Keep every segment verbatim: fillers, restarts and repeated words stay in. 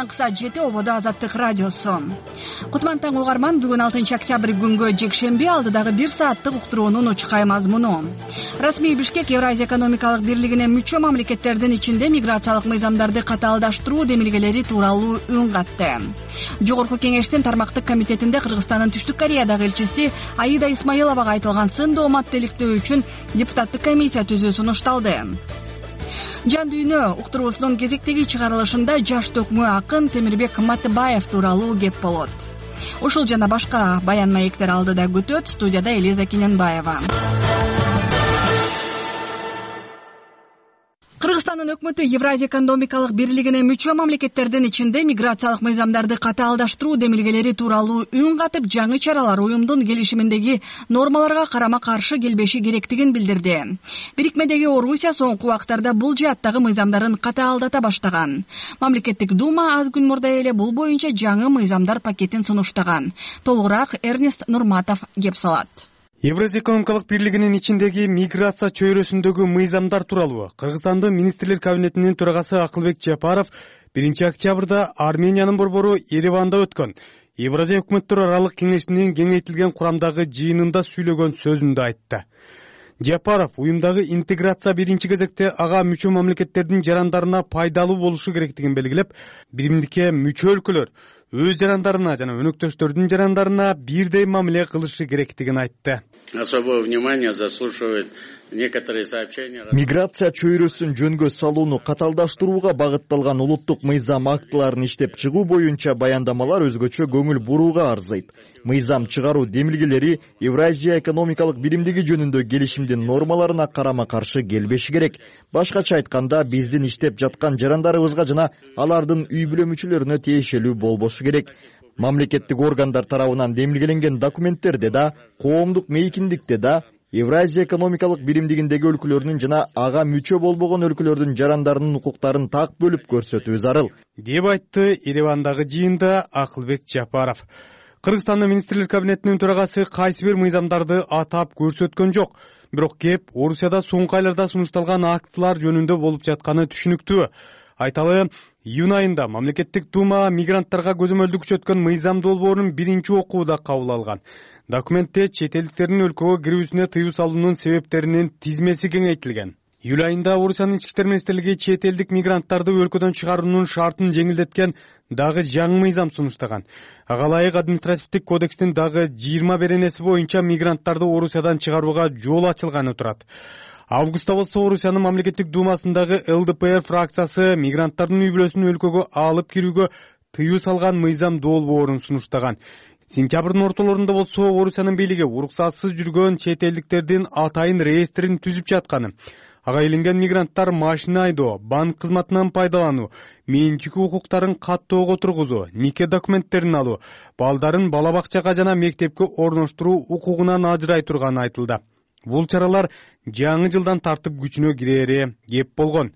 таңкы саат жети ободо Азаттык радиосу. Кутман таң угарман, бүгүн алтынчы октябрь күнгө жекшемби, алдыдагы бир сааттык уктуруунун учкай мазмуну. Расмий Бишкек Евразия экономикалык бирлигине мүчө мамлекеттердин ичинде миграциялык мыйзамдарды катаалдаштыруу демилгелери тууралуу үн катты. Жогорку кеңештин тармактык комитетинде Кыргызстандын Түштүк Кореядагы элчиси Аида Исмаиловага айтылган сын дооматты иликтөө үчүн депутаттык комиссия түзүү сунушталды. Жан дүйнө уктуруусунун кезектеги чыгарылышында жаш төкмө акын Темирбек Матыбаев тууралуу кеп болот. Ушул жана башка баян маектер алдыда күтөт. Студияда Элиза Киненбаева. Кыргызстандын өкмөтү Евразия экономикалык бирлигине мүчө мамлекеттердин ичинде миграциялык мыйзамдарды катаалдаштыруу демилгелери тууралуу үн катып, жаңы чаралар уюмдун келишиминдеги нормаларга карама-каршы келбеши керектигин билдирди. Бирикмедеги Орусия соңку убактарда бул жааттагы мыйзамдарын катаалдата баштаган. Мамлекеттик дума аз күн мурда эле бул боюнча жаңы мыйзамдар пакетин сунуштаган. Толугураак Эрнест Нурматов кеп салат. Евразия экономикалык бирлигинин ичиндеги миграция чөйрөсүндөгү мыйзамдар тууралуу Кыргызстандын министрлер кабинетинин төрагасы Акылбек Жапаров биринчи октябрда Армениянын борбору Ереванда өткөн Евразия өкмөттөр аралык кеңешинин кеңейтилген курамдагы жыйынында сүйлөгөн сөзүндө айтты. Жапаров уюмдагы интеграция биринчи кезекте ага мүчө мамлекеттердин жарандарына пайдалуу болушу керектигин белгилеп, биримдикке мүчө өлкөлөр өз жарандарына жана өнөктөштөрдүн жарандарына бирдей мамиле кылышы керектигин айтты. Особое внимание заслуживает некоторые сообщения. Миграция чөйрөсүн жөнгө салууну катаалдаштырууга багытталган улуттук мыйзам актыларын иштеп чыгуу боюнча баяндамалар өзгөчө көңүл бурууга арзыйт. Мыйзам чыгаруу демилгелери Евразия экономикалык биримдиги жөнүндө келишимдин нормаларына карама-каршы келбеши керек. Башкача айтканда, биздин иштеп жаткан жарандарыбызга жана алардын үй бүлө мүчөлөрүнө тиешелүү болбошу керек. Мамлекеттик органдар тарабынан демилгеленген документтерде да, коомдук мейкиндикте да Евразия экономикалык биримдигиндеги өлкөлөрдүн жана ага мүчө болбогон өлкөлөрдүн жарандарынын укуктарын так бөлүп көрсөтүү зарыл, деп айтты Еревандагы жыйында Акылбек Жапаров. Кыргызстандын министрлер кабинетинин төрагасы кайсы бир мыйзамдарды атап көрсөткөн жок, бирок кеп Орусияда соңку айларда сунушталган актылар жөнүндө болуп жатканы түшүнүктүү. Айталы, июнь айында мамлекеттик дума мигранттарга көзөмөлдү күчөткөн мыйзам долбоорун биринчи окууда кабыл алган. Документте чет элдиктердин өлкөгө кирүүсүнө тыюу салуунун себептеринин тизмеси кеңейтилген. Июль айында Орусиянын ички иштер министрлиги чет элдик мигранттарды өлкөдөн чыгаруунун шартын жеңилдеткен дагы жаңы мыйзам сунуштаган. Ага ылайык административдик кодекстин дагы жыйырма беренеси боюнча мигранттарды Орусиядан чыгарууга жол ачылганы турат. Августта болсо Орусиянын мамлекеттик думасындагы эл дэ пэ эр фракциясы мигранттардын үй бүлөсүн өлкөгө алып кирүүгө тыюу салган мыйзам долбоорун сунуштаган. Сентябрдын ортолорунда болсо Орусиянын бийлиги уруксатсыз жүргөн чет элдиктердин атайын реестрин түзүп жатканы, ага иленген мигранттар машина айдоо, банк кызматынан пайдалануу, менчик укуктарын каттоого тургузуу, нике документтерин алуу, балдарын бала бакчага жана мектепке орноштуруу укугунан ажырай турганы айтылды. Бул чаралар жаңы жылдан тартып күчүнө кирери кеп болгон.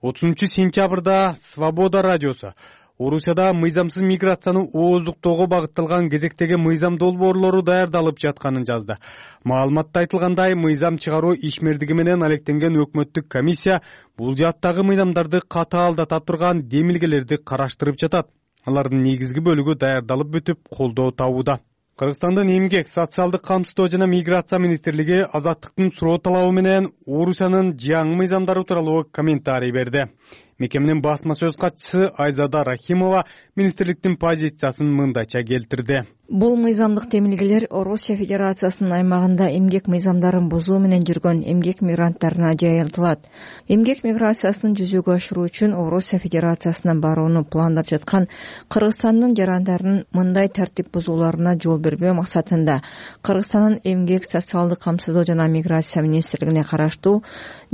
отузунчу сентябрда Свобода радиосу Орусияда мыйзамсыз миграцияны ооздуктоого багытталган кезектеги мыйзам долбоорлору даярдалып жатканын жазды. Маалыматта айтылгандай, мыйзам чыгаруу ишмердиги менен алектенген өкмөттүк комиссия бул жааттагы мыйзамдарды катаалдата турган демилгелерди караштырып жатат. Алардын негизги бөлүгү даярдалып бүтүп, колдоо табууда. Кыргызстандын эмгек, социалдык камсыздоо жана миграция министрлиги Азаттыктын суроо талабы менен Орусиянын жаңы мыйзамдары тууралуу комментарий берди. Мекеменин басма сөз катчысы Айзада Рахимова министрликтин позициясын мындайча келтирди. Бул мыйзамдык демилгелер Орусия Федерациясынын аймагында эмгек мыйзамдарын бузуу менен жүргөн эмгек мигранттарына жайылтылат. Эмгек миграциясын жүзөгө ашыруу үчүн Орусия Федерациясына барууну пландап жаткан Кыргызстандын жарандарынын мындай тартип бузууларына жол бербөө максатында Кыргызстандын эмгек, социалдык камсыздоо жана миграция министрлигине караштуу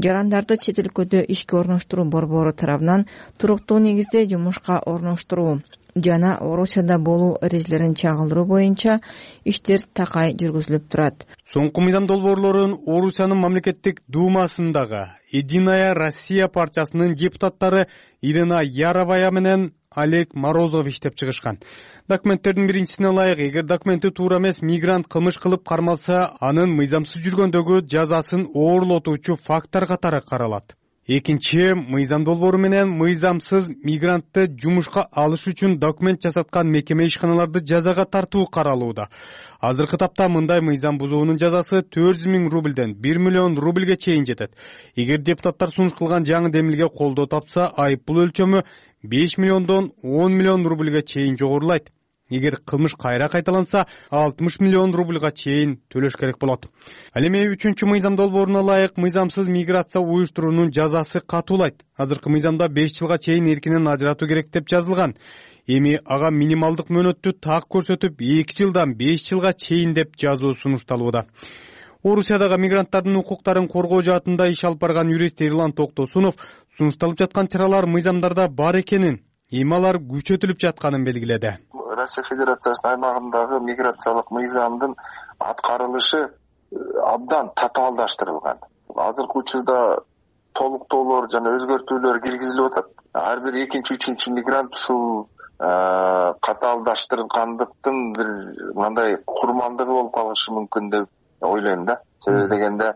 жарандарды чет өлкөдө ишке орноштуруу борбору тарабынан туруктуу негизде жумушка орноштуруу жана Орусияда болуу эрежелерин чагылдыруу боюнча иштер такай жүргүзүлүп турат. Соңку мыйзам долбоорлорун Орусиянын мамлекеттик думасындагы Единая Россия партиясынын депутаттары Ирина Яровая менен Олег Морозов иштеп чыгышкан. Документтердин биринчисине ылайык, эгер документи туура эмес мигрант кылмыш кылып кармалса, анын мыйзамсыз жүргөндөгү жазасын оорлотуучу фактор катары каралат. Экинчи, мыйзам долбоору менен мыйзамсыз мигрантты жумушка алыш үчүн документ жасаткан мекеме ишканаларды жазага тартуу каралууда. Азыркы тапта мындай мыйзам бузуунун жазасы төрт жүз миң рубльден бир миллион рубльге чейин жетет. Эгер депутаттар сунуш кылган жаңы демилге колдоо тапса, айыппул өлчөмү беш миллиондон он миллион рубльге чейин жогорулайт. Эгер кылмыш кайра кайталанса, алтымыш миллион рубльга чейин төлөш керек болот. Ал эми үчүнчү мыйзам долбооруна ылайык мыйзамсыз миграция уюштуруунун жазасы катуулайт. Азыркы мыйзамда беш жылга чейин эркинен ажыратуу керек деп жазылган. Эми ага минималдык мөөнөттү так көрсөтүп эки жылдан беш жылга чейин деп жазуу сунушталууда. Орусиядагы мигранттардын укуктарын коргоо жаатында иш алып барган юрист Эрлан Токтосунов сунушталып жаткан чаралар мыйзамдарда бар экенин, эми алар күчөтүлүп жатканын белгиледи. Россия Федерациясынын аймагындагы миграциялык мыйзамдын аткарылышы абдан татаалдаштырылган. Азыркы учурда толуктоолор жана өзгөртүүлөр киргизилип атат. Ар бир экинчи, үчүнчү мигрант ушул катаалдаштыргандыктын бир мындай курмандыгы болуп калышы мүмкүн деп ойлойм да. Себеби дегенде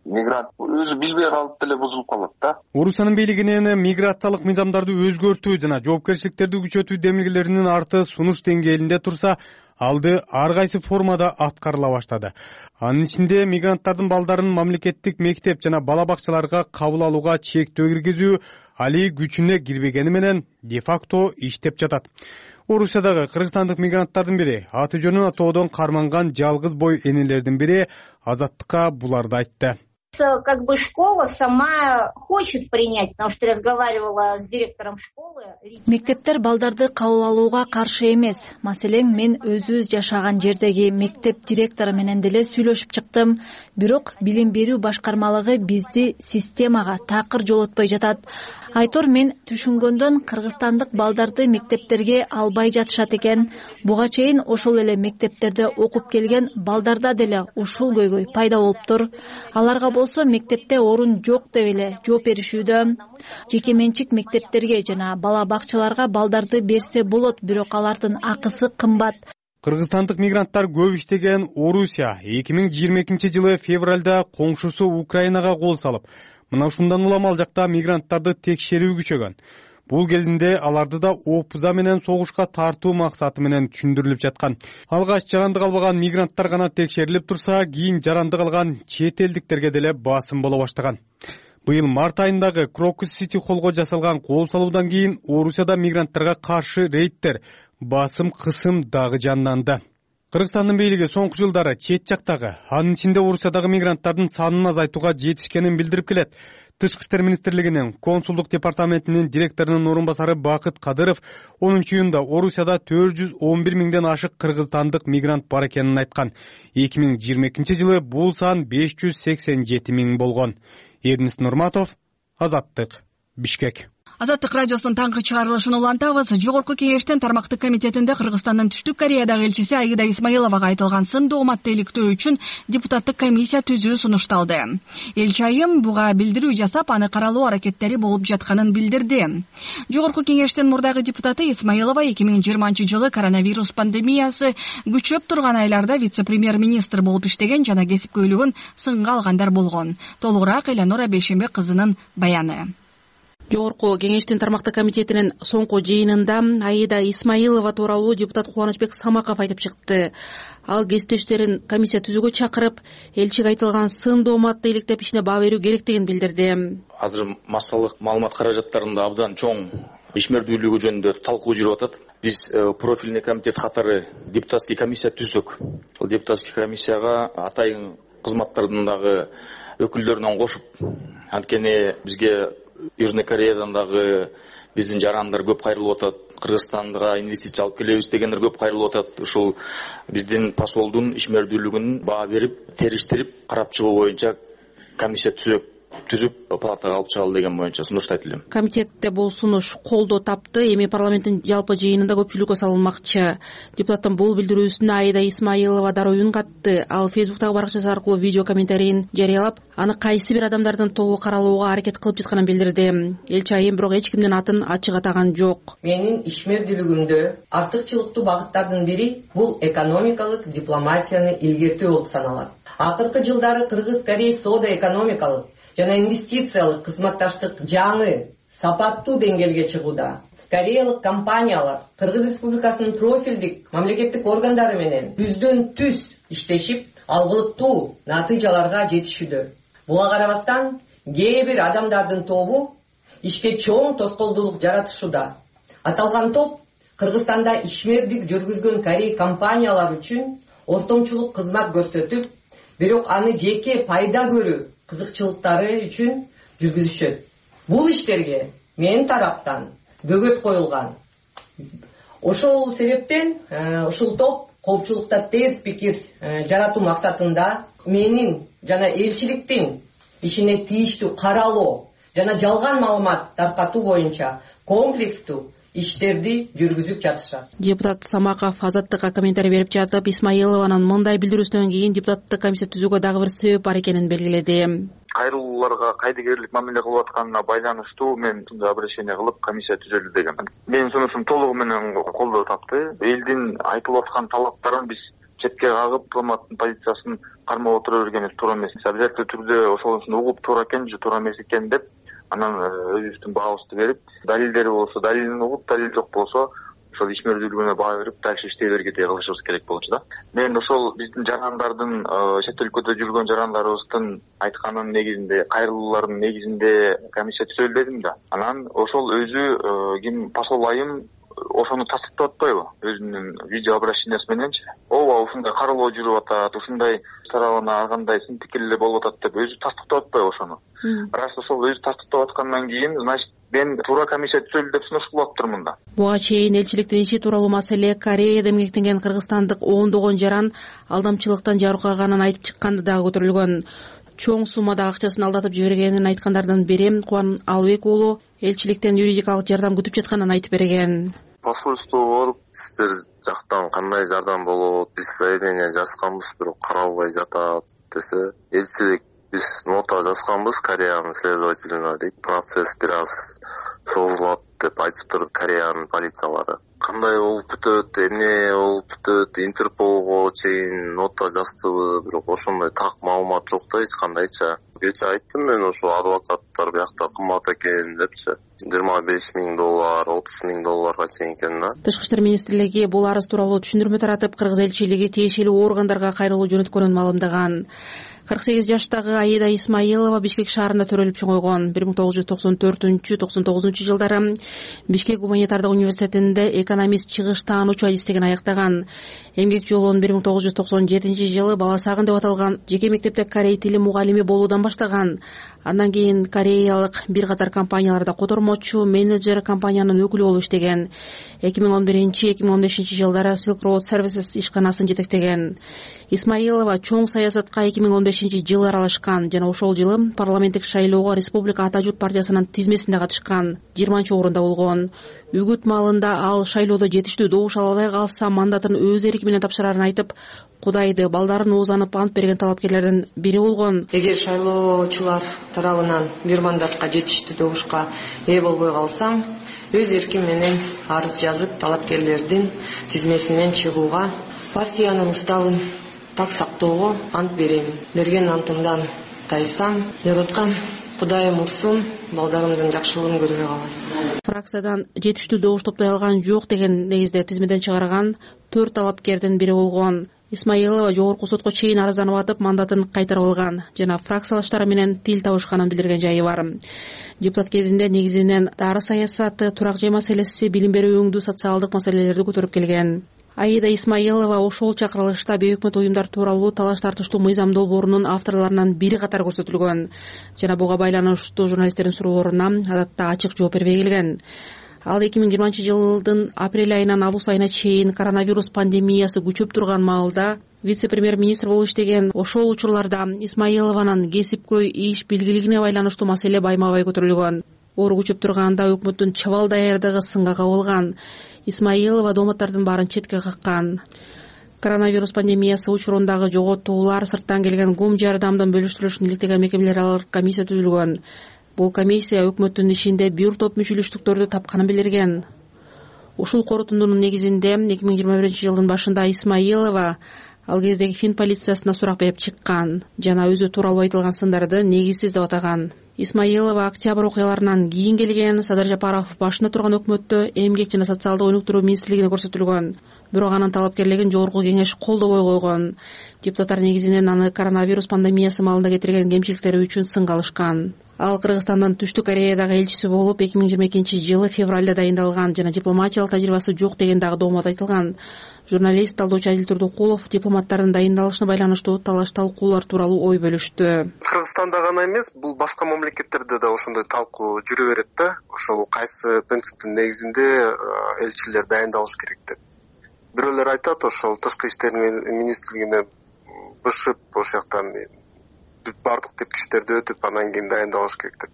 мигрант өзү билбей калып деле бузулуп калат да. Орусиянын бийлигинин миграциялык мыйзамдарды өзгөртүү жана жоопкерчиликтерди күчөтүү демилгелеринин арты сунуш деңгээлинде турса, алды ар кайсы формада аткарыла баштады. Анын ичинде мигранттардын балдарын мамлекеттик мектеп жана бала бакчаларга кабыл алууга чектөө киргизүү али күчүнө кирбегени менен де-факто иштеп жатат. Орусиядагы кыргызстандык мигранттардын бири, аты жөнүн атоодон карманган жалгыз бой энелердин бири Азаттыкка буларды айтты. Как бы школа сама хочет принять, потому что разговаривала с директором школы. Мектептер балдарды кабыл алууга каршы эмес. Маселен, мен өзүбүз жашаган жердеги мектеп директору менен деле сүйлөшүп чыктым. Бирок билим берүү башкармалыгы бизди системага такыр жолотпой жатат. Айтор, мен түшүнгөндөн кыргызстандык балдарды мектептерге албай жатышат экен. Буга чейин ошол эле мектептерде окуп келген балдарда деле ушул көйгөй пайда болуптур. Аларга болсо мектепте орун жок деп эле жооп беришүүдө. Жеке менчик мектептерге жана бала бакчаларга балдарды берсе болот, бирок алардын акысы кымбат. Кыргызстандык мигранттар көп иштеген Орусия эки миң жыйырма экинчи жылы февралда коңшусу Украинага кол салып, мына ушундан улам ал жакта мигранттарды текшерүү күчөгөн. Бул кезинде аларды да опуза менен согушка тартуу максаты менен түшүндүрүлүп жаткан. Алгач жарандык албаган мигранттар гана текшерилип турса, кийин жарандык алган чет элдиктерге деле басым боло баштаган. Быйыл март айындагы Крокус Сити холлго жасалган кол салуудан кийин Орусияда мигранттарга каршы рейдтер, басым кысым дагы жанданды. Кыргызстандын бийлиги соңку жылдары чет жактагы, анын ичинде Орусиядагы мигранттардын санын азайтууга жетишкенин билдирип келет. Тышкы иштер министрлигинин консулдук департаментинин директорунун орун басары Бакыт Кадыров онунчу июнда Орусияда төрт жүз он бир миңден ашык кыргызстандык мигрант бар экенин айткан. эки миң жыйырма экинчи жылы бул сан беш жүз сексен жети миң болгон. Эрнест Нурматов, Азаттык, Бишкек. Азаттык радиосунун таңкы чыгарылышын улантабыз. Жогорку кеңештин тармактык комитетинде Кыргызстандын Түштүк Кореядагы элчиси Аида Исмаиловага айтылган сын дооматты иликтөө үчүн депутаттык комиссия түзүү сунушталды. Элчи айым буга билдирүү жасап, аны каралуу аракеттери болуп жатканын билдирди. Жогорку кеңештин мурдагы депутаты Исмаилова эки миң жыйырманчы жылы коронавирус пандемиясы күчөп турган айларда вице-премьер-министр болуп иштеген жана кесипкөйлүгүн сынга алгандар болгон. Толугураак Элеонора Бейшембек кызынын баяны. Жогорку кеңештин тармактык комитетинин соңку жыйынында Аида Исмаилова тууралуу депутат Кубанычбек Самаков айтып чыкты. Ал кесиптештерин комиссия түзүүгө чакырып, элчиге айтылган сын дооматты иликтеп ишине баа берүү керектигин билдирди. Азыр массалык маалымат каражаттарында абдан чоң ишмердүүлүгү жөнүндө талкуу жүрүп атат. Биз профильный комитет катары депутатский комиссия түздүк. Бул депутатский комиссияга атайын кызматтардын дагы өкүлдөрүнөн кошуп, анткени бизге Южный Кореядан дагы биздин жарандар көп кайрылып атат. Кыргызстанга инвестиция алып келебиз дегендер көп кайрылып атат. Ушул биздин посолдун ишмердүүлүгүн баа берип, териштирип, карап чыгуу боюнча комиссия түзөк түзүп палатага алып чыгалы деген боюнча сунуштайт элем. Комитетте бул сунуш колдоо тапты. Эми парламенттин жалпы жыйынында көпчүлүккө салынмакчы. Депутаттын бул билдирүүсүнө Аида Исмаилова дароо үн катты. Ал Фейсбуктагы баракчасы аркылуу видео комментарийин жарыялап, аны кайсы бир адамдардын тобу каралууга аракет кылып жатканын билдирди. Элчи айым бирок эч кимдин атын ачык атаган жок. Менин ишмердүүлүгүмдө артыкчылыктуу багыттардын бири бул экономикалык дипломатияны илгертүү болуп саналат. Акыркы жылдары Кыргыз Корея соода экономикалык жана инвестициялык кызматташтык жаңы сапаттуу деңгээлге чыгууда. Кореялык компаниялар Кыргыз Республикасынын профилдик мамлекеттик органдары менен түздөн түз иштешип, алгылыктуу натыйжаларга жетишүүдө. Буга карабастан кээ бир адамдардын тобу ишке чоң тоскоолдуулук жаратышууда. Аталган топ Кыргызстанда ишмердик жүргүзгөн Корей компаниялар үчүн ортомчулук кызмат көрсөтүп, бирок аны жеке пайда көрүү кызыкчылыктары үчүн жүргүзүшөт. Бул иштерге менин тараптан бөгөт коюлган. Ошол себептен ушул топ коопчулукта терс пикир жаратуу максатында менин жана элчиликтин ишине тийиштүү каралоо жана жалган маалымат таркатуу боюнча комплекстүү иштерди жүргүзүп жатышат. Депутат Самаков Азаттыкка комментарий берип жатып, Исмаилованын мындай билдирүүсүнөн кийин депутаттык комиссия түзүүгө дагы бир себеп бар экенин белгиледи. Кайрылууларга кайдыгерлик мамиле кылып атканына байланыштуу мен обращение кылып комиссия түзөлдү деген. Менин сунушум толугу менен колдоо тапты. Элдин айтылып аткан талаптарын биз четке кагып, дипломаттын позициясын кармап отура бергенибиз туура эмес. Обязательно түрдө ошонусун угуп туура экен же туура эмес экен деп анан өзүбүздүн баабызды берип, далилдери болсо далилин угуп, далил жок болсо ошол ишмердүүлүгүнө баа берип, дальше иштей бергендей кылышыбыз керек болчу да. Мен ошол биздин жарандардын, чет өлкөдө жүргөн жарандарыбыздын айтканын негизинде, кайрылуулардын негизинде комиссия түзөлдү дедим да. Анан ошол өзү ким посол айым ошону тастыктап атпайбы? Өзүнүн видео обращениясы мененчи. Ооба, ушундай каралоо жүрүп атат, ушундай тарабына ар кандай сын пикирлер болуп атат деп өзү тастыктап атпайбы ошону? Раз ошол өзү тастыктап аткандан кийин, значит, мен туура комиссия түзөлдү деп сунуш кылып атыптырмын да. Буга чейин элчиликтин иши тууралуу маселе Кореяда эмгектенген кыргызстандык ондогон жаран алдамчылыктан жарыкаганын айтып чыкканды дагы көтөрүлгөн. Чоң суммада акчасын алдатып жибергенин айткандардын бири Кубан Албек уулу элчиликтен юридикалык жардам күтүп жатканын айтып берген. Посольствого барып, сиздер жактан кандай жардам болот, биз заявление жазганбыз, бирок каралбай жатат десе, элчилик биз нота жазганбыз Кореянын следователине дейт, процесс бир аз созулат деп айтыптыр Кореянын полициялары. Кандай болуп бүтөт, эмне болуп бүтөт, Интерполго чейин нота жаздыбы, бирок ошондой так маалымат жок да эч кандайча. Кече айттым мен ошо адвокаттар биякта кымбат экен депчи. жыйырма беш миң доллар, отуз миң долларга чейин экен да. Тышкы иштер министрлиги бул арыз тууралуу түшүндүрмө таратып, кыргыз элчилиги тиешелүү органдарга кайрылуу жөнөткөнүн маалымдаган. кырк сегиз жаштагы Аида Исмаилова Бишкек шаарында төрөлүп чоңойгон. бир миң тогуз жүз токсон төртүнчү токсон тогузунчу жылдары Бишкек гуманитардык университетинде экономист чыгыш таануучу адистигин аяктаган. Эмгек жолун бир миң тогуз жүз токсон жетинчи жылы Баласагын деп аталган жеке мектепте корей тили мугалими болуудан баштаган. Андан кийин кореялык бир катар компанияларда котормочу, менеджер, компаниянын өкүлү болуп иштеген. эки миң он биринчи эки миң он бешинчи жылдары Silk Road Services ишканасын жетектеген. Исмаилова чоң саясатка эки миң он бешинчи жылы аралашкан жана ошол жылы парламенттик шайлоого Республика Ата журт партиясынын тизмесинде катышкан. жыйырманчы орунда болгон. Үгүт маалында ал шайлоодо жетиштүү добуш ала албай калса мандатын өз эрки менен тапшырарын айтып, Кудайды, балдарын оозанып ант берген талапкерлердин бири болгон. Эгер шайлоочулар тарабынан бир мандатка жетиштүү добушка ээ болбой калсаң, өз эрким менен арыз жазып, талапкерлердин тизмесинен чыгууга, партиянын уставын так сактоого ант берем. Берген антымдан тайсам, жараткан Кудайым урсун, балдарымдын жакшылыгын көрбөй калат. Фракциядан жетиштүү добуш топтой алган жок деген негизде тизмеден чыгарган төрт талапкердин бири болгон. Исмаилова жогорку сотко чейин арызданып атып, мандатын кайтарып алган жана фракциялаштары менен тил табышканын билдирген жайы бар. Депутат кезинде негизинен дары саясаты, турак жай маселеси, билим берүү өңдүү социалдык маселелерди көтөрүп келген. Аида Исмаилова ошол чакырылышта бейөкмөт уюмдар тууралуу талаш тартыштуу мыйзам долбоорунун авторлорунан бири катары көрсөтүлгөн жана буга байланыштуу журналисттердин суроолоруна адатта ачык жооп бербей келген. Ал эки миң жыйырманчы жылдын апрель айынан август айына чейин коронавирус пандемиясы күчөп турган маалда вице-премьер-министр болуп иштеген. Ошол учурларда Исмаилованын кесипкөй иш билгилигине байланыштуу маселе байма-бай көтөрүлгөн. Оору күчөп турганда өкмөттүн чабал даярдыгы сынга кабылган. Исмаилова дооматтардын баарын четке каккан. Коронавирус пандемиясы учурундагы жоготуулар, сырттан келген гум жардамдын бөлүштүрүлүшүн иликтеген мекемелер аралык комиссия түзүлгөн. Бул комиссия өкмөттүн ишинде бир топ мүчөлүштүктөрдү тапканын билдирген. Ушул корутундунун негизинде эки миң жыйырма биринчи жылдын башында Исмаилова ал кездеги фин полициясына сурак берип чыккан жана өзү тууралуу айтылган сындарды негизсиз деп атаган. Исмаилова октябрь окуяларынан кийин келген. Садыр Жапаров башында турган өкмөттө эмгек жана социалдык өнүктүрүү министрлигине көрсөтүлгөн. Бирок анын талапкерлигин жогорку кеңеш колдобой койгон. Депутаттар негизинен аны коронавирус пандемиясы маалында кетирген кемчиликтери үчүн сынга алышкан. Ал Кыргызстандын Түштүк Кореядагы элчиси болуп эки миң жыйырма экинчи жылы февралда дайындалган жана дипломатиялык тажрыйбасы жок деген дагы доомот айтылган. Журналист талдоочу Адил Турдукулов дипломаттардын дайындалышына байланыштуу талаш талкуулар тууралуу ой бөлүштү. Кыргызстанда гана эмес, бул башка мамлекеттерде да ошондой талкуу жүрө берет да. Ошол кайсы принциптин негизинде элчилер дайындалыш керек деп. Бирөөлөр айтат, ошол тышкы иштер министрлигине бышып, ошол жактан бардык тепкичтерди өтүп, анан кийин дайындалыш керек деп.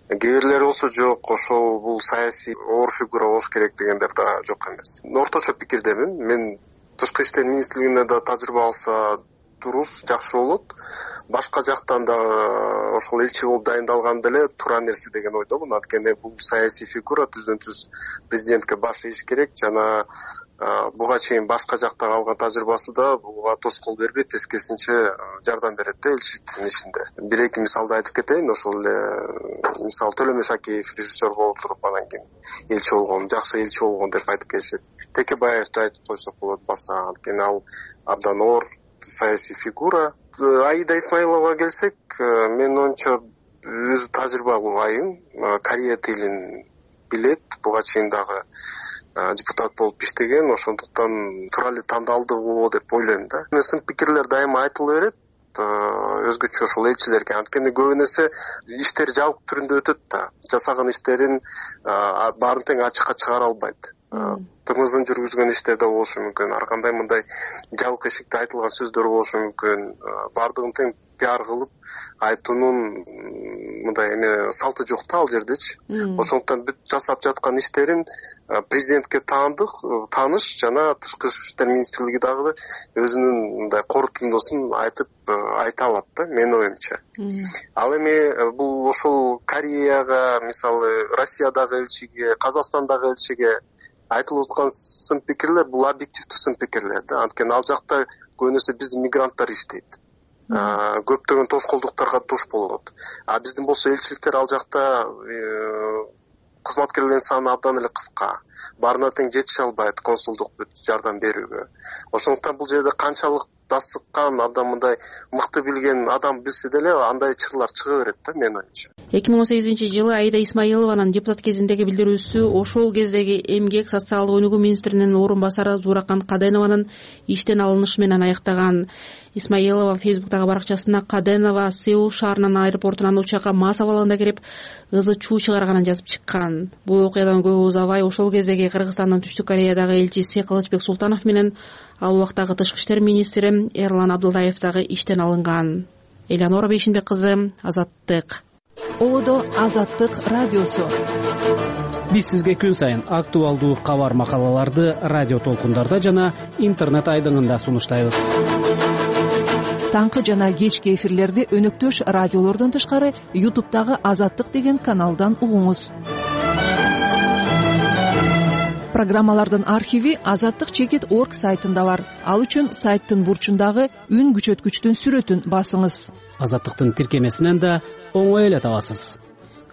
Кээ бирлери болсо жок, ошол бул саясий оор фигура болуш керек дегендер да жок эмес. Орточо пикирдемин. Мен тышкы иштер министрлигине да тажрыйба алса дурус, жакшы болот. Башка жактан да ошол элчи болуп дайындалган деле туура нерсе деген ойдомун. Анткени бул саясий фигура түздөн түз президентке баш ийиш керек жана буга чейин башка жакта алган тажрыйбасы да буга тоскоол бербейт, тескерисинче жардам берет да элчиликтин ишинде. Бир эки мисалды айтып кетейин. Ошол эле мисалы Төлөмөш Шакеев режиссер болуп туруп анан кийин элчи болгон, жакшы элчи болгон деп айтып келишет. Текебаевди айтып койсок болот баса, анткени ал абдан оор саясий фигура. Аида Исмаиловага келсек, менин оюмча өзү тажрыйбалуу айым, Корея тилин билет, буга чейин дагы депутат болуп иштеген, ошондуктан туура эле тандалдыгы деп ойлойм да. Сын пикирлер дайыма айтыла берет, өзгөчө ошол элчилерге, анткени көбү нерсе иштер жабык түрүндө өтөт да. Жасаган иштерин баарын тең ачыкка чыгара албайт. Тымызын жүргүзгөн иштерде болушу мүмкүн, ар кандай мындай жабык эшикте айтылган сөздөр болушу мүмкүн. Бардыгын тең пиар кылып айтуунун мындай эме салты жок да ал жердечи. Ошондуктан бүт жасап жаткан иштерин президентке таандык, тааныш жана тышкы иштер министрлиги дагы өзүнүн мындай корутундусун айтып айта алат да, менин оюмча. Ал эми бул ошол Кореяга, мисалы Россиядагы элчиге, Казакстандагы элчиге айтылып аткан сын пикирлер бул объективдүү сын пикирлер да. Анткени ал жакта көбүнесе биздин мигранттар иштейт. Көптөгөн тоскоолдуктарга туш болот. А биздин болсо элчиликтер ал жакта кызматкерлердин саны абдан эле кыска. Баарына тең жетише албайт консулдук жардам берүүгө. Ошондуктан бул жерде канчалык дасыккан, абдан мындай мыкты билген адам билсе деле андай чырлар чыга берет да, менин оюмча. эки миң он сегизинчи жылы Аида Исмаилованын депутат кезиндеги билдирүүсү ошол кездеги эмгек социалдык өнүгүү министринин орун басары Зууракан Каденованын иштен алынышы менен аяктаган. Исмаилова Фейсбуктагы баракчасына Каденова Сеул шаарынын аэропортунан учакка мас абалында кирип ызы чуу чыгарганын жазып чыккан. Бул окуядан көп узабай ошол кездеги Кыргызстандын Түштүк Кореядагы элчиси Кылычбек Султанов менен ал убактагы тышкы иштер министри Эрлан Абдылдаев дагы иштен алынган. Элеонора Бейшинбек кызы, Азаттык. Одо Азаттык радиосу. Биз сизге күн сайын актуалдуу кабар макалаларды радио толкундарда жана интернет айдыңында сунуштайбыз. Таңкы жана кечки эфирлерди өнөктөш радиолордон тышкары ютубтагы Азаттык деген каналдан угуңуз. Программалардын архиви азаттык чекит точка орг сайтында бар. Ал үчүн сайттын бурчундагы үн күчөткүчтүн сүрөтүн басыңыз. Азаттыктын тиркемесинен да оңой эле табасыз.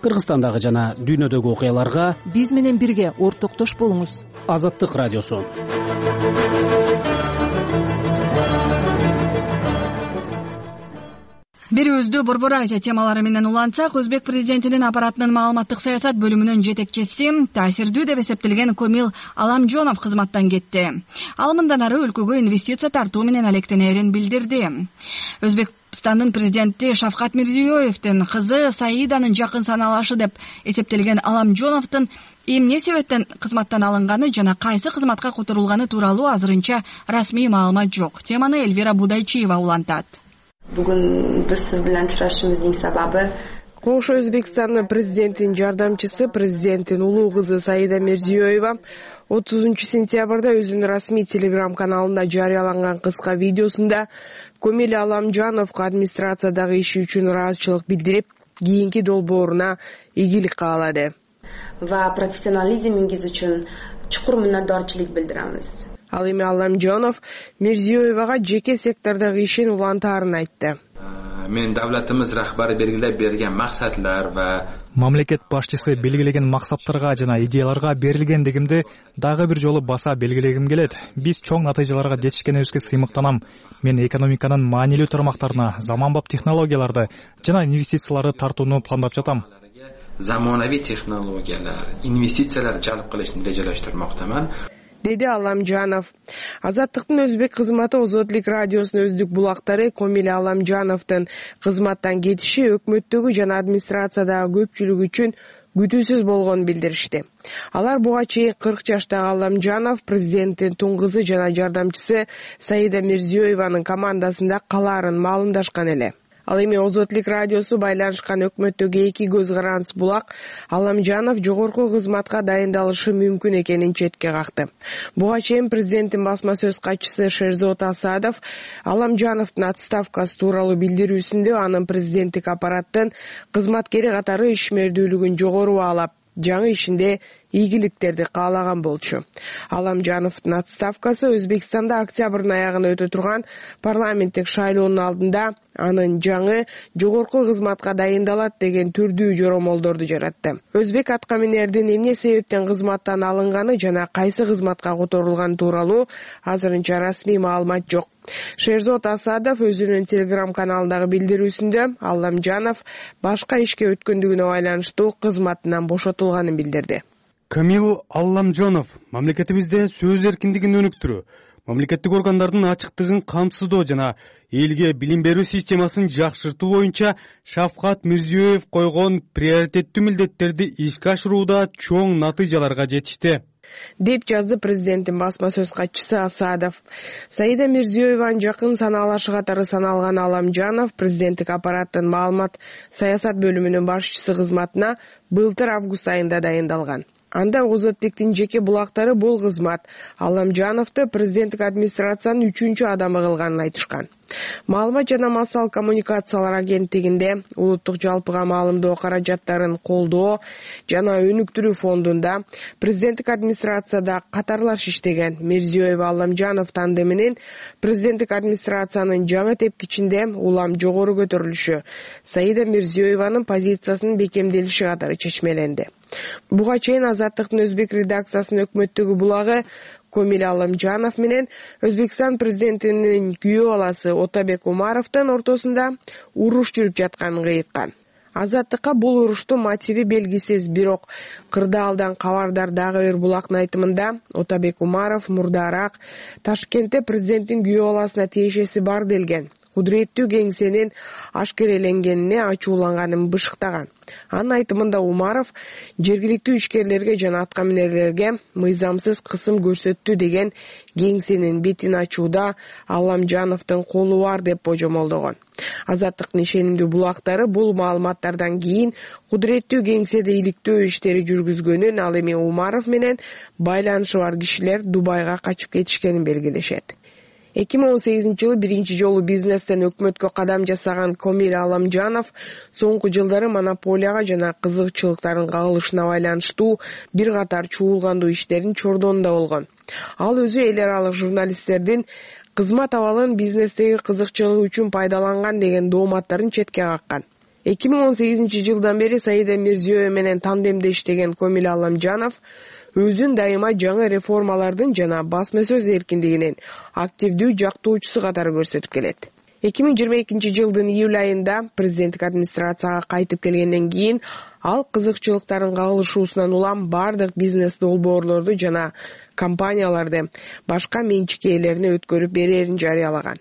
Кыргызстандагы жана дүйнөдөгү окуяларга биз менен бирге ортоктош болуңуз. Азаттык радиосу. Берүүбүздү Борбор Азия темалары менен улантсак, Өзбек президентинин аппаратынын маалыматтык саясат бөлүмүнүн жетекчиси таасирдүү деп эсептелген Комил Аламжонов кызматтан кетти. Ал мындан ары өлкөгө инвестиция тартуу менен алектенерин билдирди. Өзбекстандын президенти Шавкат Мирзиёевдин кызы Саиданын жакын саналашы деп эсептелген Аламжоновдун эмне себептен кызматтан алынганы жана кайсы кызматка которулганы тууралуу азырынча расмий маалымат жок. Теманы Эльвира Будайчиева улантат. Бүгүн биз сиз менен учурашуубуздун сабабы Кош Өзбекстандын президентинин жардамчысы, президенттин улуу кызы Саида Мирзиёева отузунчу сентябрда өзүнүн расмий телеграм каналында жарыяланган кыска видеосунда Комил Аламжановго администрациядагы иши үчүн ыраазычылык билдирип, кийинки долбооруна ийгилик каалады. Ва профессионализмиңиз үчүн чукур мыннатдорчулук билдиребиз. Ал эми Алламжанов Мирзиёевага жеке сектордогу ишин улантаарын айтты. Мен давлатыбыз рахбары белгилеп берген максатлар ва мамлекет башчысы белгилеген максаттарга жана идеяларга берилгендигимди дагы бир жолу баса белгилегим келет. Биз чоң натыйжаларга жетишкенибизге сыймыктанам. Мен экономиканын маанилүү тармактарына заманбап технологияларды жана инвестицияларды тартууну пландап жатам. Заманавий технологиялар, инвестициялар жалп кылышты режалаштырмактаман, деди Алламжанов. Азаттыктын өзбек кызматы Озотлик радиосунун өздүк булактары Комил Алламжановдун кызматтан кетиши өкмөттөгү жана администрациядагы көпчүлүк үчүн күтүүсүз болгонун билдиришти. Алар буга чейин кырк жаштагы Алламжанов президенттин тун кызы жана жардамчысы Саида Мирзиёеванын командасында калаарын маалымдашкан эле. Ал эми Озотлик радиосу байланышкан өкмөттөгү эки көз караныс булак Алламжанов жогорку кызматка дайындалышы мүмкүн экенин четке какты. Буга чейин президенттин басма сөз катчысы Шерзот Асадов Алламжановдун отставкасы тууралуу билдирүүсүндө анын президенттик аппараттын кызматкери катары ишмердүүлүгүн жогору баалап, жаңы ишинде ийгиликтерди каалаган болчу. Алламжановдун отставкасы Өзбекстанда октябрдын аягында өтө турган парламенттик шайлоонун алдында анын жаңы жогорку кызматка дайындалат деген түрдүү жоромолдорду жаратты. Өзбек аткаминердин эмне себептен кызматтан алынганы жана кайсы кызматка которулганы тууралуу азырынча расмий маалымат жок. Шерзот Асадов өзүнүн телеграм каналындагы билдирүүсүндө Алламжанов башка ишке өткөндүгүнө байланыштуу кызматынан бошотулганын билдирди. Комил Алламжанов мамлекетибизде сөз эркиндигин өнүктүрүү, мамлекеттик органдардын ачыктыгын камсыздоо жана элге билим берүү системасын жакшыртуу боюнча Шавкат Мирзиёев койгон приоритеттүү милдеттерди ишке ашырууда чоң натыйжаларга жетишти, деп жазды президенттин басма сөз катчысы Асадов. Саида Мирзиёеванын жакын санаалашы катары саналган Алламжанов президенттик аппараттын маалымат саясат бөлүмүнүн башчысы кызматына былтыр август айында дайындалган. Анда Озотликтин жеке булактары бул кызмат Алламжановду президенттик администрациянын үчүнчү адамы кылганын айтышкан. Маалымат жана массалык коммуникациялар агенттигинде улуттук жалпыга маалымдоо каражаттарын колдоо жана өнүктүрүү фондунда президенттик администрацияда катарлаш иштеген Мирзиёева Алламжанов тандеминин президенттик администрациянын жаңы тепкичинде улам жогору көтөрүлүшү Саида Мирзиёеванын позициясынын бекемделиши катары чечмеленди. Буга чейин Азаттыктын өзбек редакциясынын өкмөттөгү булагы Комил Алламжанов менен Өзбекстан президентинин күйөө баласы Отабек Умаровдун ортосунда уруш жүрүп жатканын кыйыткан. Азаттыкка бул уруштун мотиви белгисиз, бирок кырдаалдан кабардар дагы бир булактын айтымында Отабек Умаров мурдараак Ташкентте президенттин күйөө баласына тиешеси бар делген кудуреттүү кеңсенин ашкереленгенине ачууланганын бышыктаган. Анын айтымында Умаров жергиликтүү ишкерлерге жана аткаминерлерге мыйзамсыз кысым көрсөттү деген кеңсенин бетин ачууда Алламжановдун колу бар деп божомолдогон. Азаттыктын ишенимдүү булактары бул маалыматтардан кийин кудуреттүү кеңседе иликтөө иштери жүргүзгөнүн, ал эми Умаров менен байланышы бар кишилер Дубайга качып кетишкенин белгилешет. эки миң он сегизинчи жылы биринчи жолу бизнестен өкмөткө кадам жасаган Комил Алламжанов соңку жылдары монополияга жана кызыкчылыктардын кагылышына байланыштуу бир катар чуулгандуу иштерин чордонунда болгон. Ал өзү эл аралык журналисттердин кызмат абалын бизнестеги кызыкчылыгы үчүн пайдаланган деген дооматтарын четке каккан. эки миң он сегизинчи жылдан бери Саида Мирзиёева менен тандемде иштеген Комил Алламжанов өзүн дайыма жаңы реформалардын жана басма сөз эркиндигинин активдүү жактоочусу катары көрсөтүп келет. эки миң жыйырма экинчи жылдын июль айында президенттик администрацияга кайтып келгенден кийин ал кызыкчылыктардын кагылышуусунан улам бардык бизнес долбоорлорду жана компанияларды башка менчик ээлерине өткөрүп берерин жарыялаган.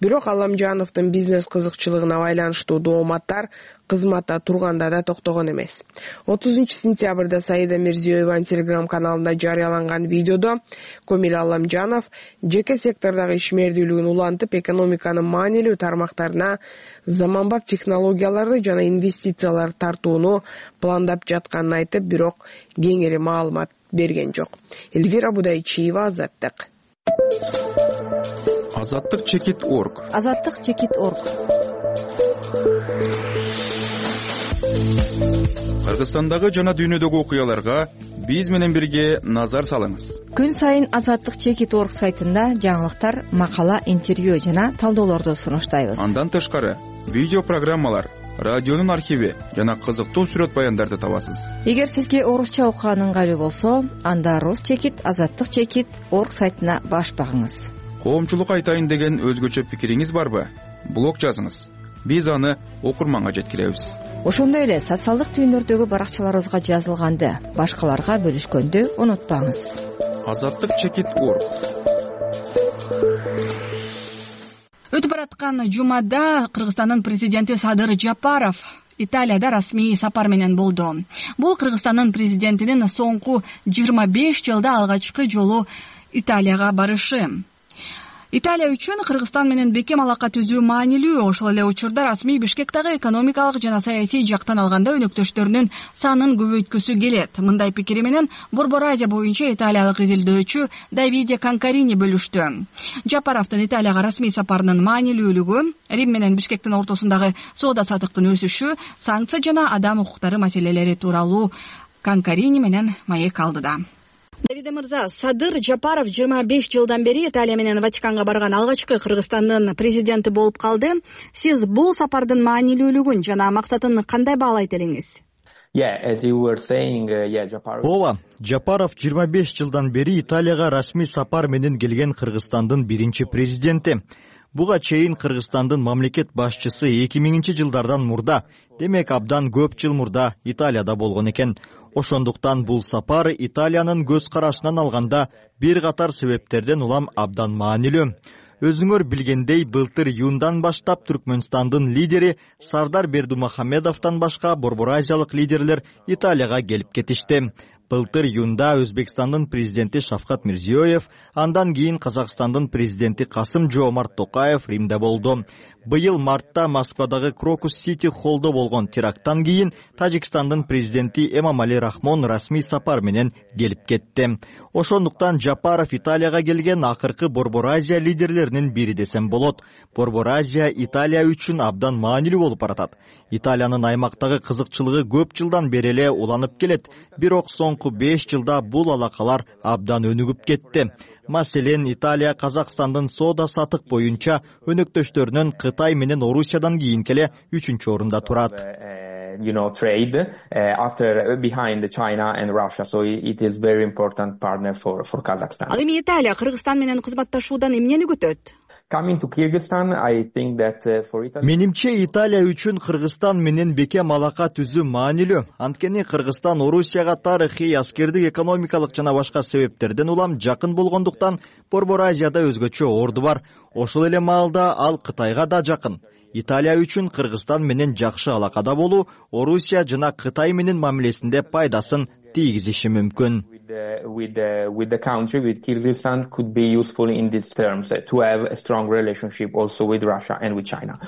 Бирок Алламжановдун бизнес кызыкчылыгына байланыштуу дооматтар кызматта турганда да токтогон эмес. отузунчу сентябрда Саида Мирзиёеванын телеграм каналында жарыяланган видеодо Комил Алламжанов жеке сектордогу ишмердүүлүгүн улантып, экономиканын маанилүү тармактарына заманбап технологияларды жана инвестицияларды тартууну пландап жатканын айтып, бирок кеңири маалымат берген жок. Эльвира Будайчиева, Азаттык. Азаттык чекит орг. Азаттык чекит орг. Кыргызстандагы жана дүйнөдөгү окуяларга биз менен бирге назар салыңыз. Күн сайын Азаттык чекит орг сайтында жаңылыктар, макала, интервью жана талдоолорду сунуштайбыз. Андан тышкары видео программалар, радионун архиви жана кызыктуу сүрөт баяндарды табасыз. Эгер сизге орусча окуган ыңгайлуу болсо, анда Рус чекит, Азаттык чекит орг сайтына баш багыңыз. Коомчулук айтайын деген өзгөчө пикириңиз барбы? Блог жазыңыз. Биз аны окурманга жеткиребиз. Ошондой эле социалдык түйүндөрдөгү баракчаларыбызга жазылганды башкаларга бөлүшкөндү унутпаңыз. Азаттык чекит орг. Өтүп бараткан жумада Кыргызстандын президенти Садыр Жапаров Италияда расмий сапар менен болду. Бул Кыргызстандын президентинин соңку жыйырма беш жылда алгачкы жолу Италияга барышы. Италия үчүн Кыргызстан менен бекем алака түзүү маанилүү. Ошол эле учурда расмий Бишкектагы экономикалык жана саясий жактан алганда өнөктөштөрүнүн санын көбөйткүсү келет. Мындай пикири менен Борбор Азия боюнча италиялык изилдөөчү Давиде Канкарини бөлүштү. Жапаровдун Италияга расмий сапарынын маанилүүлүгү, Рим менен Бишкектин ортосундагы соода саттыктын өсүшү, санкция жана адам укуктары маселелери тууралуу Канкарини менен маек алдыда. Давиде мырза, Садыр Жапаров жыйырма беш жылдан бери Италия менен Ватиканга барган алгачкы Кыргызстандын президенти болуп калды. Сиз бул сапардын маанилүүлүгүн жана максатын кандай баалайт элеңиз? Ооба, Жапаров жыйырма беш жылдан бери Италияга расмий сапар менен келген Кыргызстандын биринчи президенти. Буга чейин Кыргызстандын мамлекет башчысы эки миңинчи жылдардан мурда, демек абдан көп жыл мурда Италияда болгон экен. Ошондуктан бул сапар Италиянын көз карашынан алганда бир катар себептерден улам абдан маанилүү. Өзүңөр билгендей, былтыр июндан баштап Түркмөнстандын лидери Сардар Бердумухамедовдон башка Борбор Азиялык лидерлер Италияга келип кетишти. Былтыр июнда Өзбекстандын президенти Шавкат Мирзиёев, андан кийин Казакстандын президенти Касым-Жомарт Токаев Римде болду. Быйыл мартта Москвадагы Крокус-Сити холлдо болгон теракттан кийин Тажикстандын президенти Эмомали Рахмон расмий сапар менен келип кетти. Ошондуктан Жапаров Италияга келген акыркы Борбор Азия лидерлеринин бири десем болот. Борбор Азия Италия үчүн абдан маанилүү болуп баратат. Италиянын аймактагы кызыкчылыгы көп жылдан бери эле уланып келет. Бирок соңку беш жылда бул алакалар абдан өнүгүп кетти. Маселен, Италия Казакстандын соода сатык боюнча өнөктөштөрүнүн Кытай менен Орусиядан кийинки эле үчүнчү орунда турат. You know, trade uh, after behind China and Russia, so it is very important partner for for Kazakhstan. Ал эми Италия Кыргызстан менен кызматташуудан эмнени күтөт? Coming to Kyrgyzstan, I think that uh, for Italy... Менимче Италия үчүн Кыргызстан менен бекем алака түзүү маанилүү. Анткени Кыргызстан Орусияга тарыхый, аскердик, экономикалык жана башка себептерден улам жакын болгондуктан Борбор Азияда өзгөчө орду бар. Ошол эле маалда ал Кытайга да жакын. Италия үчүн Кыргызстан менен жакшы алакада болуу Орусия жана Кытай менен мамилесинде пайдасын тийгизиши мүмкүн. With the, with the country, with Kyrgyzstan, could be useful in these terms uh, to have a strong relationship also with Russia and with China.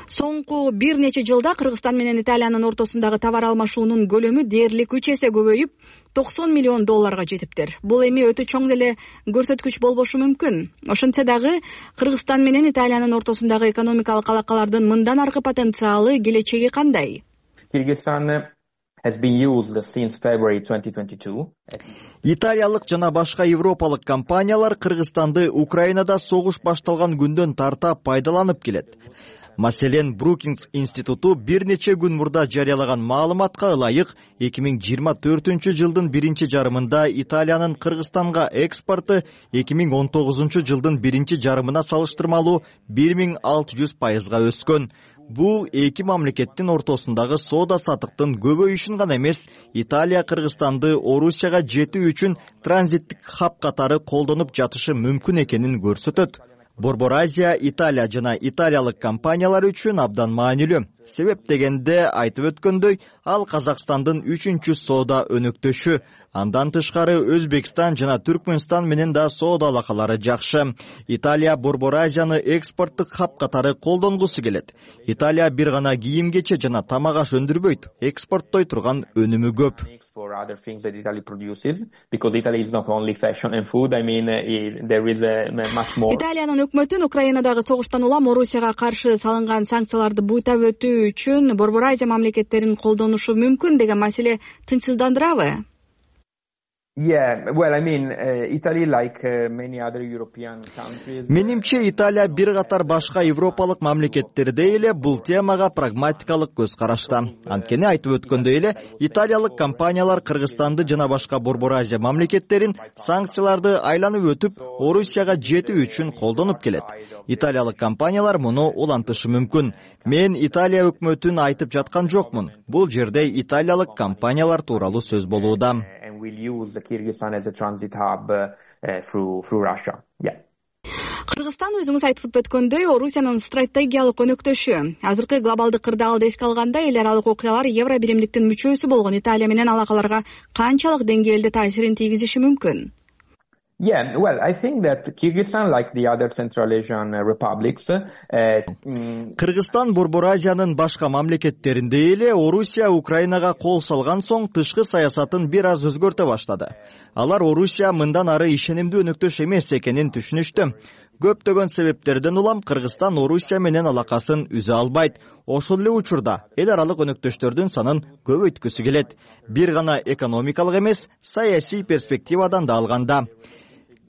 Соңку бир нече жылда Кыргызстан менен Италиянын ортосундагы товар алмашуунун көлөмү дээрлик үч эсе көбөйүп, токсон миллион долларга жетиптир. Бул эми өтө чоң деле көрсөткүч болбошу мүмкүн. Ошентсе дагы Кыргызстан менен Италиянын ортосундагы экономикалык алакалардын мындан аркы потенциалы, келечеги кандай? Kyrgyzstan has been used since February twenty twenty-two. Италиялык жана башка европалык компаниялар Кыргызстанды Украинада согуш башталган күндөн тарта пайдаланып келет. Маселен, Брукингс институту бир нече күн мурда жарыялаган маалыматка ылайык эки миң жыйырма төртүнчү жылдын биринчи жарымында Италиянын Кыргызстанга экспорты эки миң он тогузунчу жылдын биринчи жарымына салыштырмалуу бир миң алты жүз пайызга өскөн. Бул эки мамлекеттин ортосундагы соода сатыктын көбөйүшүн гана эмес, Италия Кыргызстанды Орусияга жетүү үчүн транзиттик хаб катары колдонуп жатышы мүмкүн экенин көрсөтөт. Борбор Азия Италия жана италиялык компаниялар үчүн абдан маанилүү. Себеп дегенде айтып өткөндөй, ал Казакстандын үчүнчү соода өнөктөшү. Андан тышкары Өзбекстан жана Түркмөнстан менен да соода алакалары жакшы. Италия Борбор Азияны экспорттук хаб катары колдонгусу келет. Италия бир гана кийим-кече жана тамак аш өндүрбөйт, экспорттой турган өнүмү көп. For other things that Italy produces, because Italy is not only fashion and food. I mean, uh, there is uh, much more. Италиянын өкмөтүн Украинадагы согуштан улам Орусияга каршы салынган санкцияларды буйтап өтүү үчүн Борбор Азия мамлекеттерин колдонушу мүмкүн деген маселе тынчсыздандырабы? Менимче Италия бир катар башка европалык мамлекеттердей эле бул темага прагматикалык көз карашта. Анткени айтып өткөндөй эле италиялык компаниялар Кыргызстанды жана башка Борбор Азия мамлекеттерин санкцияларды айланып өтүп Орусияга жетүү үчүн колдонуп келет. Италиялык компаниялар муну улантышы мүмкүн. Мен Италия өкмөтүн айтып жаткан жокмун. Бул жерде италиялык компаниялар тууралуу сөз болууда. Кыргызстан өзүңүз айтып өткөндөй Орусиянын стратегиялык өнөктөшү. Азыркы глобалдык кырдаалды эске алганда эл аралык окуялар Евро биримдиктин мүчөсү болгон Италия менен алакаларга канчалык деңгээлде таасирин тийгизиши мүмкүн? Yeah, well, I think that Kyrgyzstan, like the other Central Asian republics, Кыргызстан Борбор Азиянын башка мамлекеттериндей эле Орусия Украинага кол салган соң тышкы саясатын бир аз өзгөртө баштады. Алар Орусия мындан ары ишенимдүү өнөктөш эмес экенин түшүнүштү. Көптөгөн себептерден улам Кыргызстан Орусия менен алакасын үзө албайт. Ошол эле учурда эл аралык өнөктөштөрдүн санын көбөйткүсү келет. Бир гана экономикалык эмес, саясий перспективадан да алганда.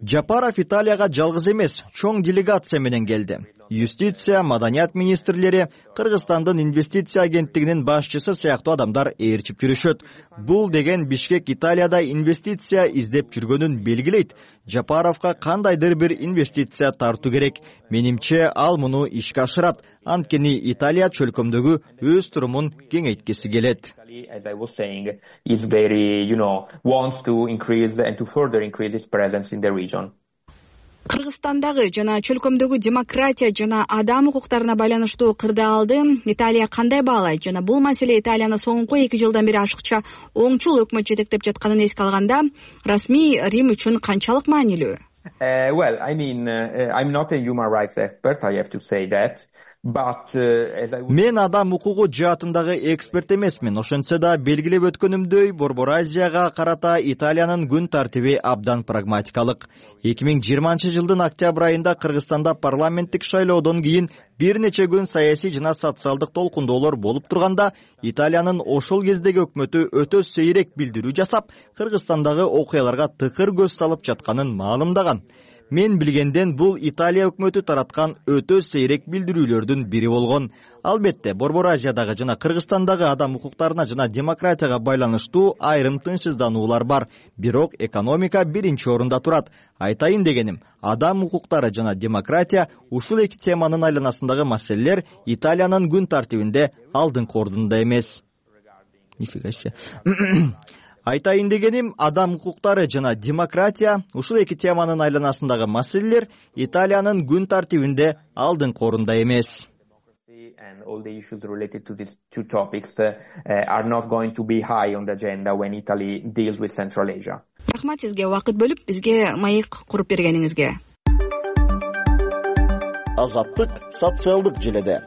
Жапаров Италияга жалгыз эмес, чоң делегация менен келди. Юстиция, маданият министрлери, Кыргызстандын инвестиция агенттигинин башчысы сыяктуу адамдар ээрчип жүрүшөт. Бул деген Бишкек Италияда инвестиция издеп жүргөнүн белгилейт. Жапаровго кандайдыр бир инвестиция тартуу керек. Менимче ал муну ишке ашырат. Анткени Италия чөлкөмдөгү өз турумун кеңейткиси келет. As I was saying, is very, you know, wants to increase and to further increase its presence in the region. Кыргызстандагы жана чөлкөмдөгү демократия жана адам укуктарына байланыштуу кырдаалды Италия кандай баалайт жана бул маселе Италияны соңку эки жылдан бери ашыкча оңчул өкмөт жетектеп жатканын эске алганда расмий Рим үчүн канчалык маанилүү? Uh, well, I mean, uh, I'm not a human rights expert, I have to say that. But, uh, as I... Мен адам укугу жаатындагы эксперт эмесмин. Ошентсе да белгилеп өткөнүмдөй, Борбор Азияга карата Италиянын күн тартиби абдан прагматикалык. эки миң жыйырманчы жылдын октябрь айында Кыргызстанда парламенттик шайлоодон кийин бир нече күн саясий жана социалдык толкундоолор болуп турганда, Италиянын ошол кездеги өкмөтү өтө сейрек билдирүү жасап, Кыргызстандагы окуяларга тыкыр көз салып жатканын маалымдаган. Мен билгенден бул Италия өкмөтү тараткан өтө сейрек билдирүүлөрдүн бири болгон. Албетте, Борбор Азиядагы жана Кыргызстандагы адам укуктарына жана демократияга байланыштуу айрым тынчсыздануулар бар. Бирок экономика биринчи орунда турат. Айтайын дегеним, адам укуктары жана демократия ушул эки теманын айланасындагы маселелер Италиянын күн тартибинде алдыңкы ордунда эмес. Нифига себе. Айтайын дегеним, адам укуктары жана демократия ушул эки теманын айланасындагы маселелер Италиянын күн тартибинде алдыңкы орунда эмес. And all the issues related to these two topics uh, are not going to be high on the agenda when Italy deals with Central Asia. Рахмат сизге убакыт бөлүп бизге маек куруп бергениңизге. Азаттык социалдык желеде.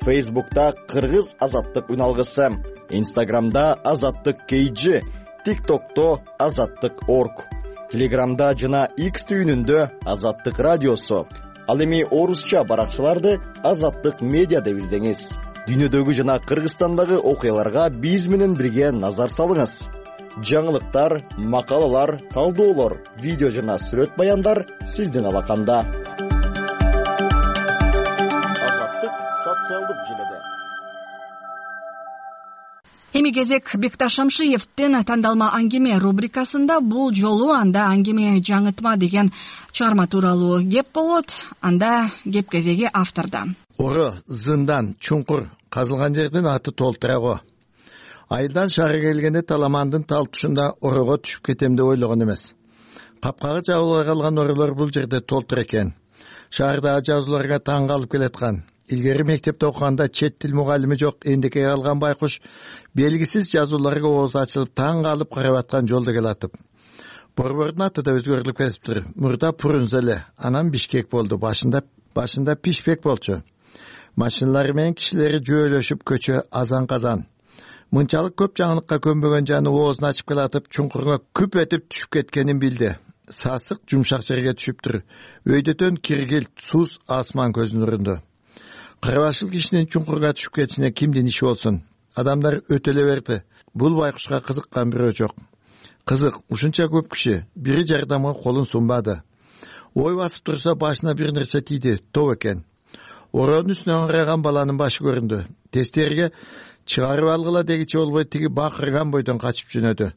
Facebook'ta Кыргыз азаттык үналгысы, Instagram'da азаттык кей джи, TikTok'то азаттык точка орг, Telegram'da жана X түйүнүндө азаттык радиосу. Ал эми орусча баракчаларды азаттык медиа деп издеңиз. Дүйнөдөгү жана Кыргызстандагы окуяларга биз менен бирге назар салыңыз. Жаңылыктар, макалалар, талдоолор, видео жана сүрөт баяндар сиздин алаканда. Азаттык социалдык желеде. Эми кезек Бекташ Шамшиевдин тандалма аңгеме рубрикасында бул жолу анда аңгеме жаңытма деген чыгарма тууралуу кеп болот. Анда кеп кезеги авторда. Ору, зындан, чуңкур казылган жердин аты толтураго. Айылдан шаары келгенде таламандын тал тушунда орого түшүп кетем деп ойлогон эмес. Капкага жабыла калган оролор бул жерде толтур экен. Шаардагы жазууларга таң калып келаткан. Илгери мектепте окуганда чет тил мугалими жок эндекей калган байкуш белгисиз жазууларга ооз ачылып таң калып карап аткан жолдо келатып. Борбордун аты да өзгөрүлүп кетиптир. Мурда Пурунзеле, анан Бишкек болду. Башында башында Пишпек болчу. Машиналар менен кишилери жөөлөшүп көчө азан-казан. Мынчалык көп жаңылыкка көнбөгөн жаны оозун ачып келатып, чуңкурга күп этип түшүп кеткенин билди. Сасык жумшак жерге түшүптүр. Өйдөтөн киргил, суз, асман көзүн урунду. Кырбашыл кишинин чуңкурга түшүп кетишине кимдин иши болсун? Адамдар өтөлө берди. Бул байкушка кызыккан бирөө жок. Кызык, ушунча көп киши бири жардамга колун сунбады. Ой басып турса башына бир нерсе тийди, топ экен. Ороонун үстүнө ыңырайган баланын башы көрүндү. Тестерге чыгарып алгыла дегичи болбой тиги бакырган бойдон качып жөнөдү.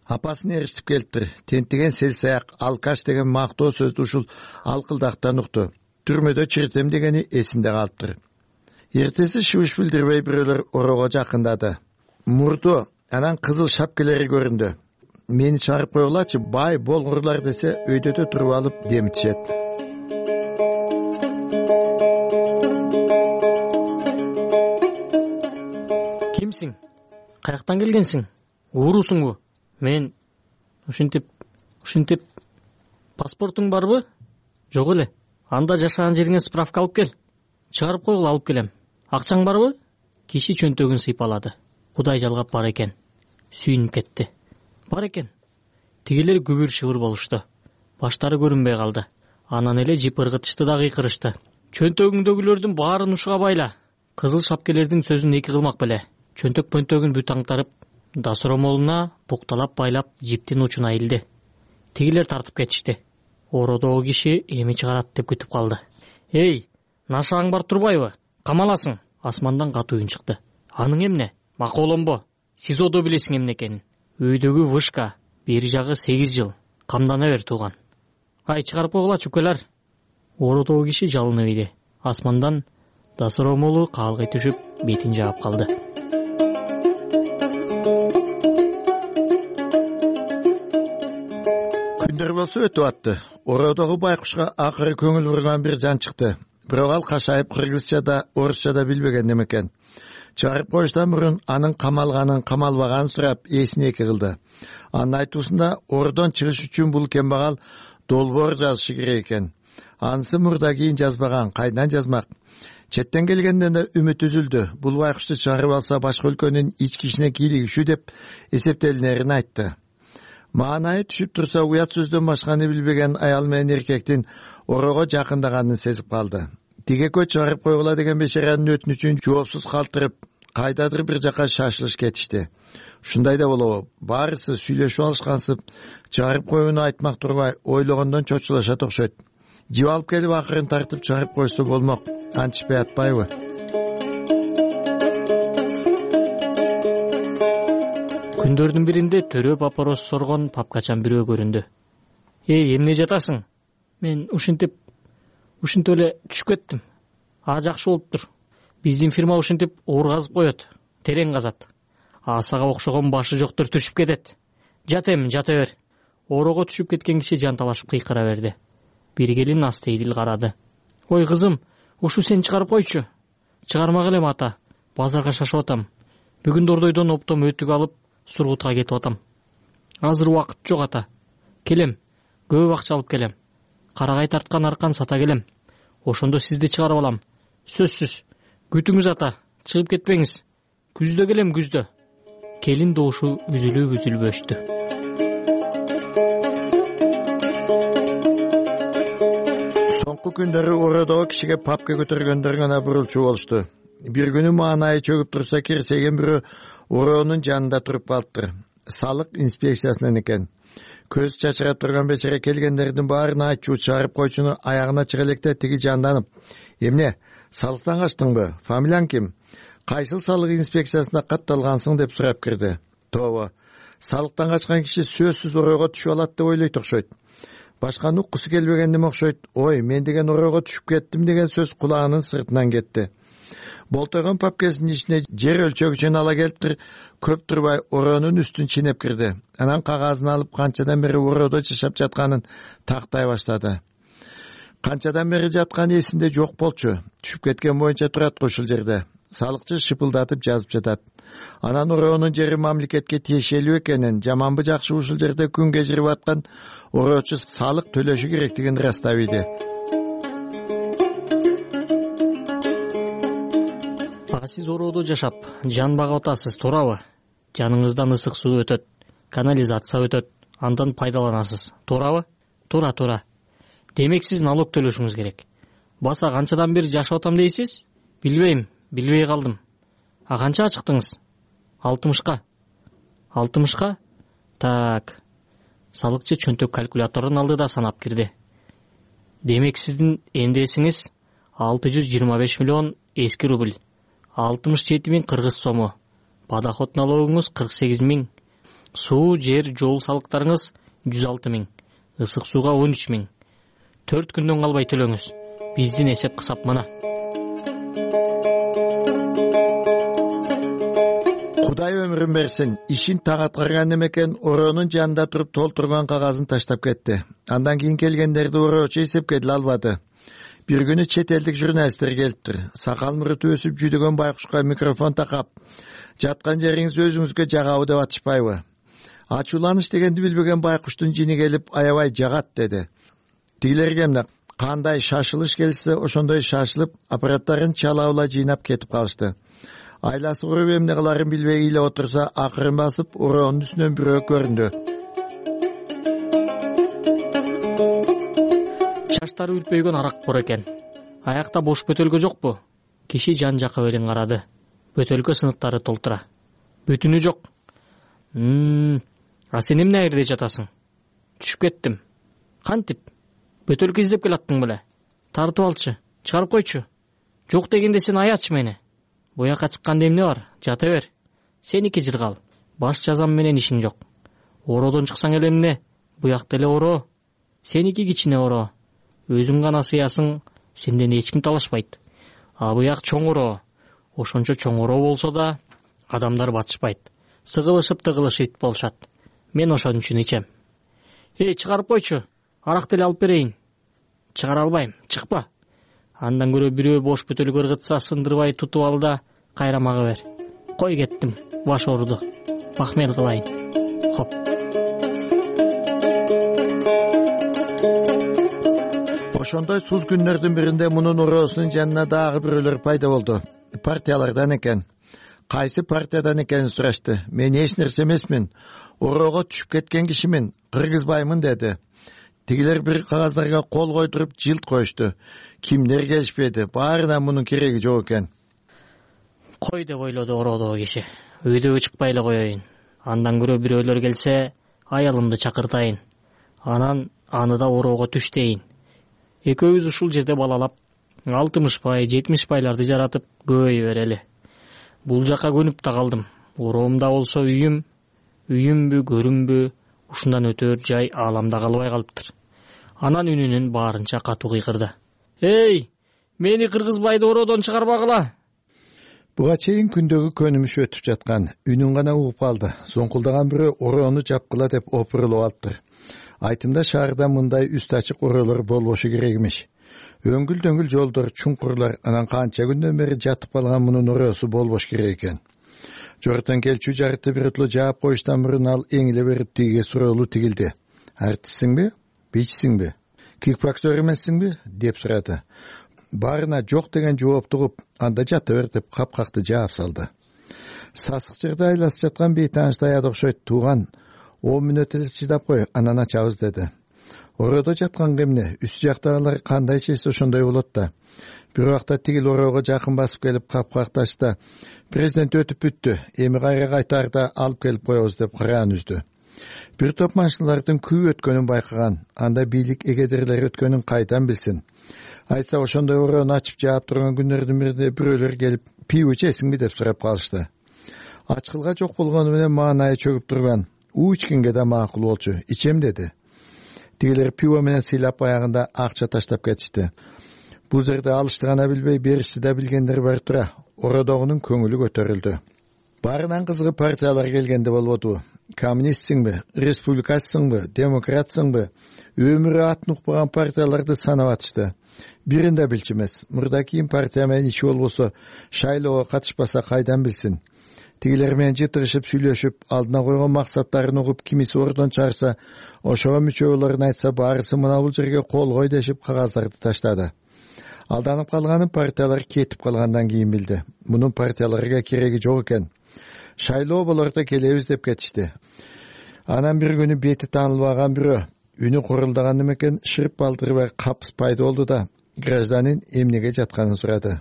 Апасын эриштип келиптир. Тентиген селсаяк, алкаш деген мактоо сөздү ушул алкылдактан укту. Түрмөдө чиритем дегени эсинде калыптыр. Эртеси шыбыш билдирбей бирөөлөр ороого жакындады. Мурду анан кызыл шапкелери көрүндү. Мени чыгарып койгулачы, бай болгурлар десе өйдөдө туруп алып демитишет. Кимсиң? Каяктан келгенсиң? Уурусуңбу? Мен ушинтип, ушинтип паспортуң барбы? Жок эле. Анда жашаган жериңе справка алып кел. Чыгарып койгула, алып келем. Акчаң барбы? Киши чөнтөгүн сыйпалады. Кудай жалгап бар экен. Сүйүнүп кетти. Бар экен. Тигилер күбүр шыбыр болушту. Баштары көрүнбөй калды. Анан эле жип ыргытышты да кыйкырышты. Чөнтөгүңдөгүлөрдүн баарын ушуга байла. Кызыл шапкелердин сөзүн эки кылмак беле. Чөнтөк пөнтөгүн бүт аңтарып, дасыромолуна букталап байлап жиптин учуна илди. Тигилер тартып кетишти. Ороодогу киши эми чыгарат деп күтүп калды. Эй, нашаң бар турбайбы? Камаласың. Асмандан катуу үн чыкты. Аның эмне? Маколомбо. Сизодо билесиң эмне экенин. Өйдөгү вышка, бери жагы сегиз жыл. Камдана бер тууган. Ай, чыгарып койгула чукелер. Ороодогу киши жалынып иди. Асмандан дасыромолу каалгый түшүп, бетин жаап калды. Күндөр болсо өтүп атты. Ороодогу байкушка акыры көңүл бурган бир жан чыкты. Бирок ал кашайып кыргызчада, орусчада билбеген экен. Чыгарып коюштан мурун анын камалганын, камалбаганын сурап эсине эки кылды. Анын айтуусунда ордон чыгыш үчүн бул кембагал долбоор жазышы керек экен. Анысы мурда кийин жазбаган, кайдан жазмак? Четтен келгенден да үмүт үзүлдү. Бул байкушту чыгарып алса башка өлкөнүн ички ишине кийлигишүү деп эсептелинерин айтты. Маанайы түшүп турса, уят сөздөн башканы билбеген аял менен эркектин ороого жакындаганын сезип калды. Тигекөө чыгарып койгула деген бешаранын өтүнүчүн жоопсуз калтырып, кайдадыр бир жака шашылыш кетишти. Ушундай да болобу? Баарысы сүйлөшүп алышкансып, чыгарып коюуну айтмак турбай, ойлогондон чочулашат окшойт. Жип алып келип акырын тартып чыгарып койсо болмок. Антишпей атпайбы? Күндөрдүн биринде төрө папорос соргон папкачан бирөө көрүндү. Эй, эмне жатасың? Мен ушинтип, ушинтип эле түшүп кеттим. А, жакшы болуптур. Биздин фирма ушинтип оор казып коет, терең казат. Асага окшогон башы жоктор түшүп кетет. Жат эми, жата бер. Ороого түшүп кеткен киши жанталашып кыйкыра берди. Бир келин астейдил карады. Ой, кызым, ушу сен чыгарып койчу. Чыгармак элем ата. Базарга шашып атам. Бүгүн Дордойдон оптом өтүк алып, Сургутка кетип атам. Азыр убакыт жок ата. Келем, көп акча алып келем. Карагай тарткан аркан сата келем. Ошондо сизди чыгарып алам. Сөзсүз. Күтүңүз ата, чыгып кетпеңиз. Күздө келем, күздө. Келин добушу үзүлүп үзүлүп өчтү. Соңку күндөрү ороодогу кишиге папка көтөргөндөр гана бурулчу болушту. Бир күнү маанайы чөгүп турса, кирсеген бирөө ороонун жанында туруп калыптыр. Салык инспекциясынан экен. Көз чачырап турган бечара келгендердин баарын айтчу чыгарып койчуну аягына чыга электе тиги жанданып: "Эмне, салыктан качтыңбы? Фамилияң ким? Кайсыл салык инспекциясына катталгансың?" деп сурап кирди. Тобо, салыктан качкан киши сөзсүз ороого түшүп алат деп ойлойт окшойт. Башканы уккусу келбегендим окшойт. Ой, мен деген ороого түшүп кеттим деген сөз кулагынын сыртынан кетти. Болтойгон папкасынын ичине жер өлчөгүчүн ала келиптир, көп турбай ороонун үстүн чинеп кирди. Анан кагазын алып канчадан бери ороодо жашап жатканын тактай баштады. Канчадан бери жатканы эсинде жок болчу. Түшүп кеткен боюнча турат ушул жерде. Салыкчы шыпылдатып жазып жатат. Анан ороонун жери мамлекетке тиешелүү экенин, жаманбы жакшы ушул жерде күн кечирип аткан ороочу салык төлөшү керектигин ырастап иди. Сиз ороодо жашап, жан багып атасыз, туурабы? Жаныңыздан ысык суу өтөт, канализация өтөт, андан пайдаланасыз, туурабы? Туура, туура. Демек сиз налог төлөшүңүз керек. Баса канчадан бери жашап атам дейсиз? Билбейм, билбей калдым. А канчага чыктыңыз? алтымышка. алтымышка? Так, салыкчы чөнтөк калькулятордун алдыда санап кирди. Демек сиздин эндесиңиз алты жүз жыйырма беш миллион эски рубль, алтымыш жети миң кыргыз сому, подоход налогуңуз кырк сегиз миң, суу, жер, жол салыктарыңыз жүз алты миң, ысык сууга он үч миң. төрт күндөн калбай төлөңүз. Биздин эсеп кысап мына. Кудай өмүрүн берсин. Ишин так аткарган эмекен ороонун жанында туруп толтурган кагазын таштап кетти. Андан кийин келгендерди ороочу эсепке деле албады. Бир күнү чет элдик журналисттер келиптир. Сакал муруту өсүп жүдөгөн байкушка микрофон такап, жаткан жериңиз өзүңүзгө жагабы деп атышпайбы? Ачууланыш дегенди билбеген байкуштун жини келип аябай жагат деди. Тигилерге эмне кандай шашылыш келсе ошондой шашылып аппараттарын чалабыла жыйнап кетип калышты. Айласы уруп эмне кыларын билбей эле отурса, акырын басып ороонун үстүнөн бирөө көрүндү. Чаштары үлпөйгөн арак бар экен. Аякта бош бөтөлкө жокпу? Киши жан жакка берин карады. Бөтөлкө сыныктары толтура. Бүтүнү жок. Мм, а сен эмне айрде жатасың? Түшүп кеттим. Кантип? Бөтөлкө издеп келаттың беле? Тартып алчы, чыгарып койчу. Жок дегенде сен аячы мени. Буяка чыкканда эмне бар? Жата бер. Сеники жыргал. Баш жазам менен ишиң жок. Ороодон чыксаң эле эмне? Буякта эле ороо. Сеники кичине ороо. Өзүң гана сыясың, сенден эч ким талашпайт. А буяк чоң ороо. Ошончо чоң ороо болсо да адамдар батышпайт. Сыгылышып тыгылышып болушат. Мен ошон үчүн ичем. Эй, чыгарып койчу. Арак деле алып берейин. Чыгара албайм, чыкпа. Андан көрө бирөө бош бөтөлкө ыргытса сындырбай тутуп ал да кайра мага бер. Кой кеттим, баш ооруду. Махмет кылайын. Хоп. Ошондой суз күндөрдүн биринде мунун ороосунун жанына дагы бирөөлөр пайда болду. Партиялардан экен. Кайсы партиядан экенин сурашты. Мен эч нерсе эмесмин. Ороого түшүп кеткен кишимин, кыргызбаймын деди. Тигилер бир кагаздарга кол койдуруп жылт коюшту. Кимдер келишпеди. Баарына мунун кереги жок экен. Кой деп ойлоду ороодогу киши. Үйдөгө чыкпай эле коеюн. Андан көрө бирөөлөр келсе, аялымды чакыртайын. Анан аны да ороого түш дейин. Экөөбүз ушул жерде балалап, алтымыш пай, жетимиш байларды жаратып көбөйө берели. Бул жака көнүп да калдым. Ороомда болсо үйүм, үйүмбү, көрүмбү, ушундан өтөр жай ааламда калбай калыптыр. Анан үнүнүн баарынча катуу кыйкырды. Эй, мени кыргызбайды ороодон чыгарбагыла. Буга чейин күндөгү көнүмүш өтүп жаткан. Үнүн гана угуп калды. Соңкулдаган бирөө ороону жапкыла деп опурулуп алыптыр. Айтымда шаарда мындай үстү ачык ороолор болбошу керек эмес. Өңгүл-дөңгүл жолдор, чуңкурлар, анан канча күндөн бери жатып калган мунун ороосу болбош керек экен. Жортон келчү жарыты бирөтлө жаап коюштан мурун ал эңиле берип тиге суроолу тигилди. Артистсиңби? Бичсиңби? Кикбоксер эмессиңби? деп сурады. Баарына жок деген жоопту угуп, анда жата бер деп капкакты жаап салды. Сасык жерде айласып жаткан бейтаанычтай ад окшойт. Тууган, он мүнөт эле чыдап кой, анан ачабыз деди. Ороодо жаткан эмне? Үстү жактагылар кандай чечсе ошондой болот да. Бир убакта тигил ороого жакын басып келип капкакты ачты. Президент өтүп бүттү. Эми кайра кайтарда алып келип коебуз деп караан үздү. Бир топ машиналардын күйүп өткөнүн байкаган. Анда бийлик эгедерлер өткөнүн кайдан билсин? Айтса ошондой ороону ачып жаап турган күндөрдүн биринде бирөөлөр келип, пиво ичесиңби деп сурап калышты. Ачкылга жок болгону менен маанайы чөгүп турган. У ичкенге да макул болчу. Ичем деди. Тигилер пиво менен сыйлап аягында акча таштап кетишти. Бул жерде алышты гана билбей, беришти да билгендер бар тура. Ороодогунун көңүлү көтөрүлдү. Баарынан кызыгы партиялар келгенде болбоду. Коммунистсиңби, республикатсыңбы, демократсыңбы? Өмүрү атын укпаган партияларды санап атышты. Биринде билчү эмес. Мурда кийин партия менен иши болбосо, шайлоого катышпаса кайдан билсин? Тигилер менен жытырышып сүйлөшүп, алдына койгон максаттарын угуп, кимиси ордон чыгарса, ошого мүчө болорун айтса, баарысы мына бул жерге кол кой дешип кагаздарды таштады. Алданып калганын партиялар кетип калгандан кийин билди. Мунун партияларга кереги жок экен. Шайлоо болордо келебиз деп кетишти. Анан бир күнү бети таанылбаган бирөө, үнү курулдаган экен, шырп балдырбай капыс пайда болду да, гражданин эмнеге жатканын сурады.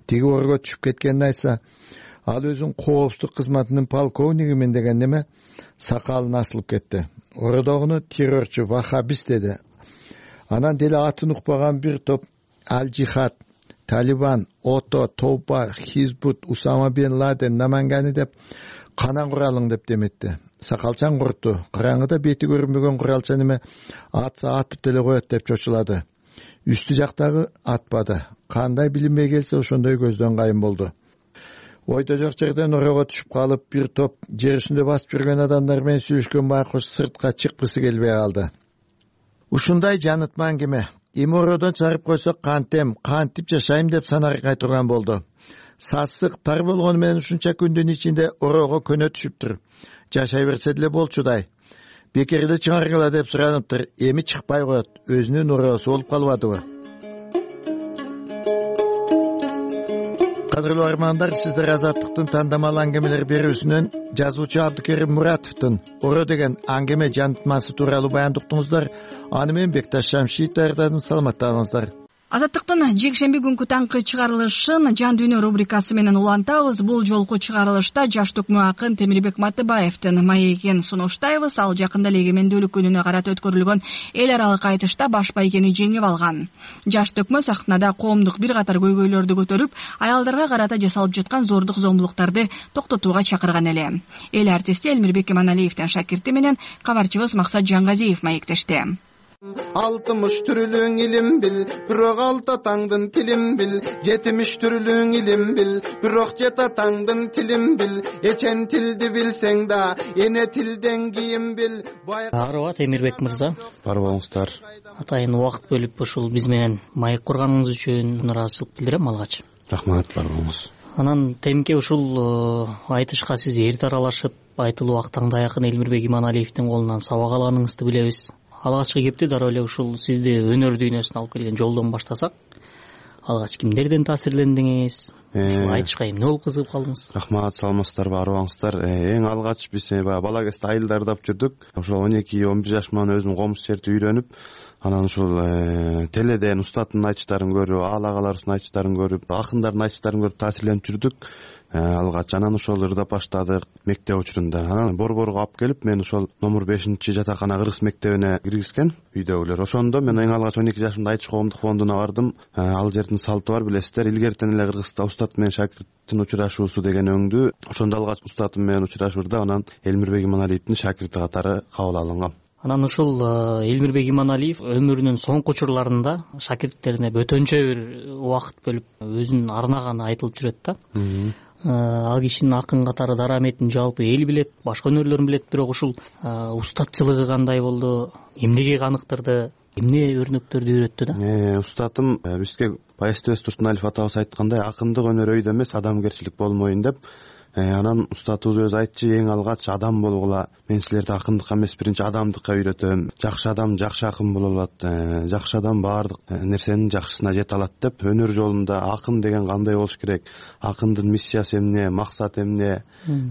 Тиги орго түшүп кеткенин айтса, ал өзүнүн коопсуздук кызматынын полковнигимин деген неме сакалын асылып кетти. Ородогуну террорчу, вахабист деди. Анан деле атын укпаган бир топ Аль-Жихад, Талибан, Ото, Тоуба, Хизбут, Усама бен Ладен, Намангани деп канан куралың деп деметти. Сакалчан куртту. Караңгыда бети көрүнбөгөн куралча неме атса атып деле коет деп чочулады. Үстү жактагы атпады. Кандай билинбей келсе ошондой көздөн кайын болду. Ойдо жок жерден орого түшүп калып, бир топ жер үстүндө басып жүргөн адамдар менен сүйлөшкөн байкуш сыртка чыккысы келбей калды. Ушундай жанытма аңгеме. Эми ородон чыгарып койсок кантем, кантип жашайм деп санаргай турган болду. Сасык тар болгону менен ушунча күндүн ичинде орого көнө түшүптүр. Жашай берсе деле болчудай. Бекерде чыгаргыла деп сураныптыр. Эми чыкпай коет. Өзүнүн оросу болуп калбадыбы? Кадырлуу армандар, сиздер Азаттыктын тандамал аңгемелер берүүсүнөн жазуучу Абдыкерим Муратовдун Оро деген аңгеме жанытмасы тууралуу баяндоо уктуңуздар. Аны мен Бекташ Шамшиев даярдадым. Саламаттаңыздар. Азаттыктын жекшемби күнкү таңкы чыгарылышын Жан дүйнө рубрикасы менен улантабыз. Бул жолку чыгарылышта жаш төкмө акын Темирбек Матыбаевдин маегин сунуштайбыз. Ал жакында эле эгемендүүлүк күнүнө карата өткөрүлгөн эл аралык айтышта баш байгени жеңип алган. Жаш төкмө сахнада коомдук бир катар көйгөйлөрдү көтөрүп, аялдарга карата жасалып жаткан зордук зомбулуктарды токтотууга чакырган эле. Эл артисти Элмирбек Эманалиевдин шакирти менен кабарчыбыз Максат Жангазиев маектешти. Алтымыш түрлүң илим бил, бирок алты атаңдын тилин бил. Жетимиш түрлүң илим бил, бирок жет атаңдын тилин бил. Эчен тилди билсең да, эне тилден кийин бил. Аарыба Темирбек мырза. Бар болуңуздар. Атайын убакыт бөлүп ушул биз менен маек курганыңыз үчүн ыраазычылык билдирем алгач. Рахмат, бар болуңуз. Анан темке ушул айтышка сиз эрте аралашып, айтылуу актаңдай акын Элмирбек Иманалиевдин колунан сабак алганыңызды билебиз. Алгачкы кепти дароо эле ушул сизди өнөр дүйнөсүнө алып келген жолдон баштасак. Алгач кимдерден таасирлендиңиз? Ушул айтышка эмне болуп кызыгып калдыңыз? Рахмат, саламатсыздарбы, арыбаңыздар. Эң алгач биз баягы бала кезде айыл даярдап жүрдүк. Ошол он эки он бир жаш менен өзүм комуз жерди үйрөнүп, анан ушул теледен устаттын айтыштарын көрүп, аалагаларыбыздын айтыштарын көрүп, акындардын айтыштарын көрүп таасирленип жүрдүк. Алгач анан ошол ырдап баштадык мектеп учурунда. Анан Борборго алып келип, мен ошол номер бешинчи жатакана кыргыз мектебине киргизген үйдөгүлөр. Ошондо мен эң алгач он эки жашымда Айтыш коомдук фондуна бардым. Ал жердин салты бар, билесиздер. Илгертен эле Кыргызда устат менен шакирттин учурашуусу деген өңдү. Ошондо алгач устатым менен учурашуурда анан Элмирбек Иманалиевдин шакирти катары кабыл алынгам. Анан ушул Элмирбек Иманалиев өмүрүнүн соңку учурларында шакирттерине бөтөнчө бир убакыт бөлүп өзүнүн арнаганы айтылып жүрөт да. Ал кишинин акын катары дараметин жалпы эл билет, башка өнөрлөрүн билет, бирок ушул устатчылыгы кандай болду, эмнеге каныктырды, эмне өрнөктөрдү үйрөттү да? Устатым бизге Баястыбек Турсуналиев атабыз айткандай, акындык өнөр өйдө эмес, адамгерчилик болмоюн деп. Анан устатыбыз өзү айтчу, эң алгач адам болгула. Мен силерди акындыкка эмес, биринчи адамдыкка үйрөтөм. Жакшы адам жакшы акын боло алат. Жакшы адам баардык нерсенин жакшысына жете алат деп. Өнөр жолунда акын деген кандай болуш керек? Акындын миссиясы эмне, максаты эмне?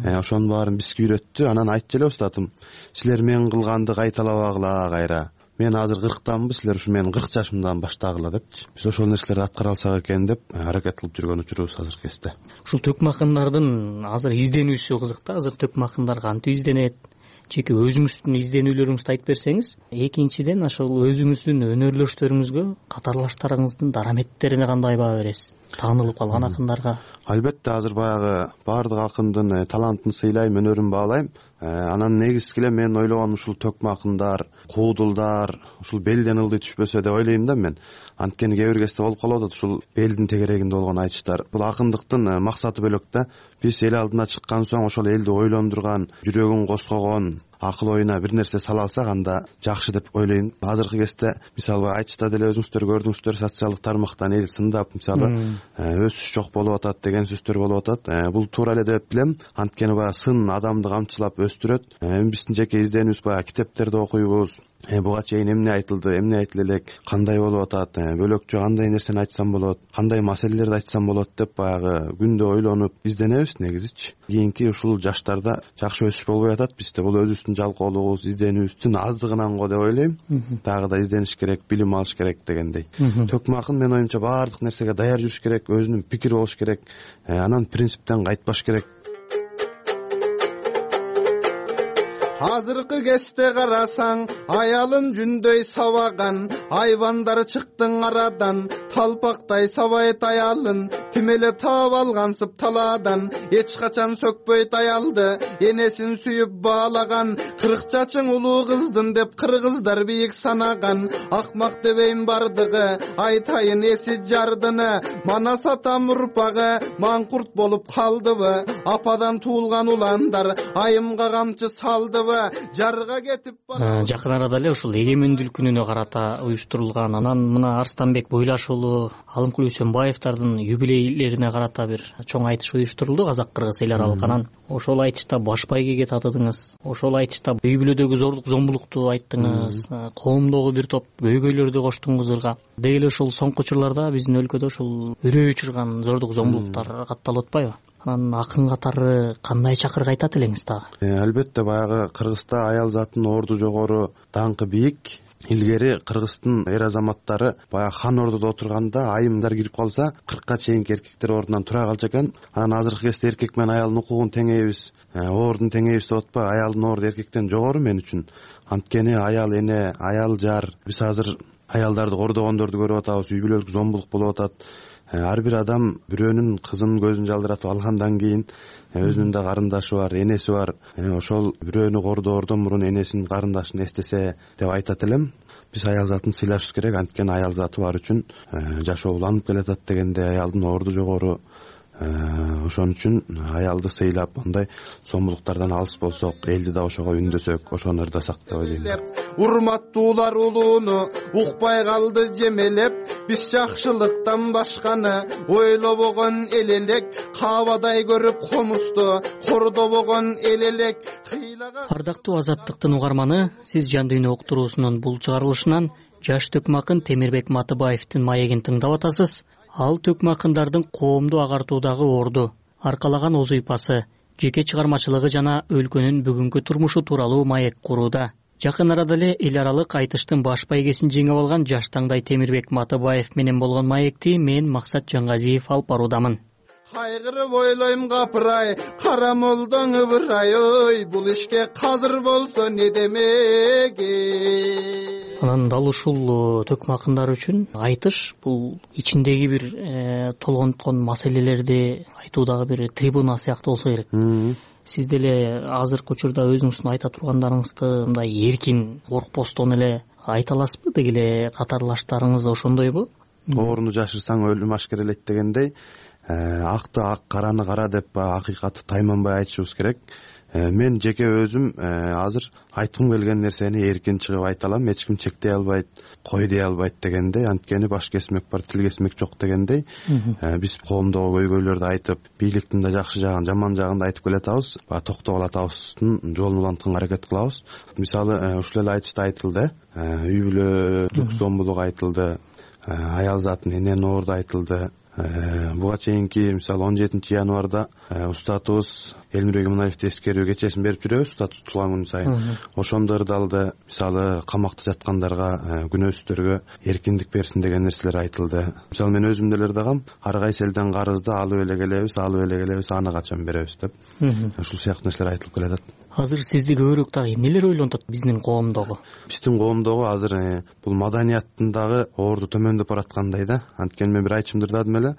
Ошонун баарын бизге үйрөттү. Анан айтчу эле устатым, силер мен кылганды кайталабагыла кайра. Мен азыр кырктанбы, силер ушу менин кырк жашымдан баштагыла депчи. Биз ошол нерселерди аткара алсак экен деп аракет кылып жүргөн учурубуз азыркы кезде. Ушул төкмө акындардын азыр изденүүсү кызык да. Азыр төкмө акындар кантип изденет? Жеке өзүңүздүн изденүүлөрүңүздү айтып берсеңиз. Экинчиден ошол өзүңүздүн өнөрлөштөрүңүзгө, катарлаштарыңыздын дараметтерине кандай баа бересиз? Таанылып калган акындарга. Албетте азыр баягы баардык акындын талантын сыйлайм, өнөрүн баалайм. Анан негизги эле мен ойлогонум ушул төкмө акындар, куудулдар ушул белден ылдый түшпөсө деп ойлойм да мен. Анткени кээ бир кезде болуп калып атат ушул элдин тегерегинде болгон айтыштар. Бул акындыктын максаты бөлөк да. Биз эл алдына чыккан соң ошол элди ойлондурган, жүрөгүн козгогон, акыл оюна бир нерсе сала алсак анда жакшы деп ойлойм. Азыркы кезде мисалы айтышта деле өзүңүздөр көрдүңүздөр, социалдык тармактан эл сындап мисалы өсүш жок болуп атат деген сөздөр болуп атат. Бул туура эле деп билем. Анткени баягы сын адамды камчылап өстүрөт. Эми биздин жеке изденүүбүз баягы китептерди окуйбуз. Буга чейин эмне айтылды, эмне айтыла элек, кандай болуп атат, бөлөкчө кандай нерсени айтсам болот, кандай маселелерди айтсам болот деп баягы күндө ойлонуп изденебиз негизичи. Кийинки ушул жаштарда жакшы өсүш болбой атат бизде. Бул өзүбүздүн биздин жалкоолугубуз, изденүүбүздүн аздыгынан го деп ойлойм. Дагы да издениш керек, билим алыш керек дегендей. Төкмакын менин оюмча баардык нерсеге даяр жүрүш керек, өзүнүн пикири болуш керек, анан принциптен кайтпаш керек. Азыркы кезде карасаң, аялын жүндөй сабаган, айбандар чыктың арадан, талпактай сабайт аялын, ким эле таап алгансып талаадан, эч качан сөкпөйт аялды, энесин сүйүп баалаган, кырк жашың улуу кыздын деп кыргыздар бийик санаган, акмак дебейм бардыгы, айтайын эси жардыны, манас атам урпагы, маңкурт болуп калдыбы, ападан туулган уландар, айымга камчы салдыбы, жарга кетип бара. Жакын арада эле ушул эгемендүүлүк күнүнө карата уюштурулган, анан мына Арстанбек Бойлаш уулу, Алымкул Үсөнбаевдардын юбилейлерине карата бир чоң айтыш уюштурулду казак-кыргыз эл аралык. Анан ошол айтышта баш байгеге татыдыңыз, ошол айтышта үй бүлөдөгү зордук зомбулукту айттыңыз, коомдогу бир топ көйгөйлөрдү коштуңуз ырга. Деги эле ушул соңку учурларда биздин өлкөдө ушул үрөй учурган зордук зомбулуктар катталып атпайбы? Анан акын катары кандай чакырык айтат элеңиз дагы? Албетте, баягы Кыргызда аял затынын орду жогору, даңкы бийик. Илгери Кыргыздын эр азаматтары баягы хан ордодо отурганда айымдар кирип калса, кыркка чейинки эркектер ордунан тура калчу экен. Анан азыркы кезде эркек менен аялдын укугун теңейбиз, ордун теңейбиз деп атпайбы? Аялдын орду эркектен жогору мен үчүн. Анткени аял эне, аял жар, биз азыр аялдарды кордогондорду көрүп атабыз, үй бүлөлүк зомбулук болуп атат. Ар бир адам бирөөнүн кызынын көзүн жалдыратып алгандан кийин өзүнүн да карындашы бар, энеси бар. Ошол бирөөнү кордоордон мурун энесин, карындашын эстесе деп айтат элем. Биз аял затын сыйлашыбыз керек, анткени аял заты бар үчүн жашоо уланып келатат дегенде аялдын орду жогору. Ошон үчүн аялды сыйлап, андай зомбулуктардан алыс болсок, элди да ошого үндөсөк, ошону ырдасак деп ойлойм. Урматтуулар улууну укпай калды жемелеп, биз жакшылыктан башканы ойлобогон эл элек, каабадай көрүп комузду кордобогон эл элек. Ардактуу Азаттыктын угарманы, сиз Жан дүйнө уктуруусунун бул чыгарылышынан жаш төкмакын Темирбек Матыбаевдин маегин тыңдап атасыз. Ал төкмакындардын коомду агартуудагы орду, аркалаган озуйпасы, жеке чыгармачылыгы жана өлкөнүн бүгүнкү турмушу тууралуу маек курууда. Жакын арада эле эл аралык айтыштын баш байгесин жеңип алган жаш таңдай Темирбек Матыбаев менен болгон маекти мен Максат Жаңгазиев алып баруудамын. Кайгырып ойлойм капырай, кара молдоң ыбырай, ой, бул ишке казыр болсо не демеги. Анан дал ушул төкмакындар үчүн айтыш бул ичиндеги бир толгонткон маселелерди айтуудагы бир трибуна сыяктуу болсо керек. Сиз деле азыркы учурда өзүңүздүн айта тургандарыңызды мындай эркин, коркпостон эле айта аласызбы? Деги эле катарлаштарыңыз ошондойбу? Орунду жашырсаң өлүм ашкерелейт дегендей, акты ак, караны кара деп акыйкатты тайманбай айтышыбыз керек. Мен жеке өзүм азыр айткым келген нерсени эркин чыгып айта алам, эч ким чектей албайт, кой дей албайт дегендей, анткени баш кесмек бар, тил кесмек жок дегендей. Биз коомдогу көйгөйлөрдү айтып, бийликтин да жакшы жагын, жаман жагын да айтып келатабыз, баягы токтогул атабыздын жолун улантканга аракет кылабыз. Мисалы, ушул эле айтышта айтылды, үй бүлөлүк зомбулук айтылды, аял затын эненин орду айтылды. Буга чейинки мисалы он жетинчи январда устатыбыз Элмирбек Иманаевди эскерүү кечесин берип жүрөбүз, устат тутулган күн сайын. Ошондо ырдалды. Мисалы камакта жаткандарга, күнөөсүздөргө эркиндик берсин деген нерселер айтылды. Мисалы мен өзүм деле ырдагам, ар кайсы элден карызды алып эле келебиз, алып эле келебиз, аны качан беребиз деп. Ушул сыяктуу нерселер айтылып келатат. Азыр сизди көбүрөөк дагы эмнелер ойлонтот биздин коомдогу? Биздин коомдогу азыр бул маданияттын дагы орду төмөндөп бараткандай да. Анткени мен бир айтышымды ырдадым эле.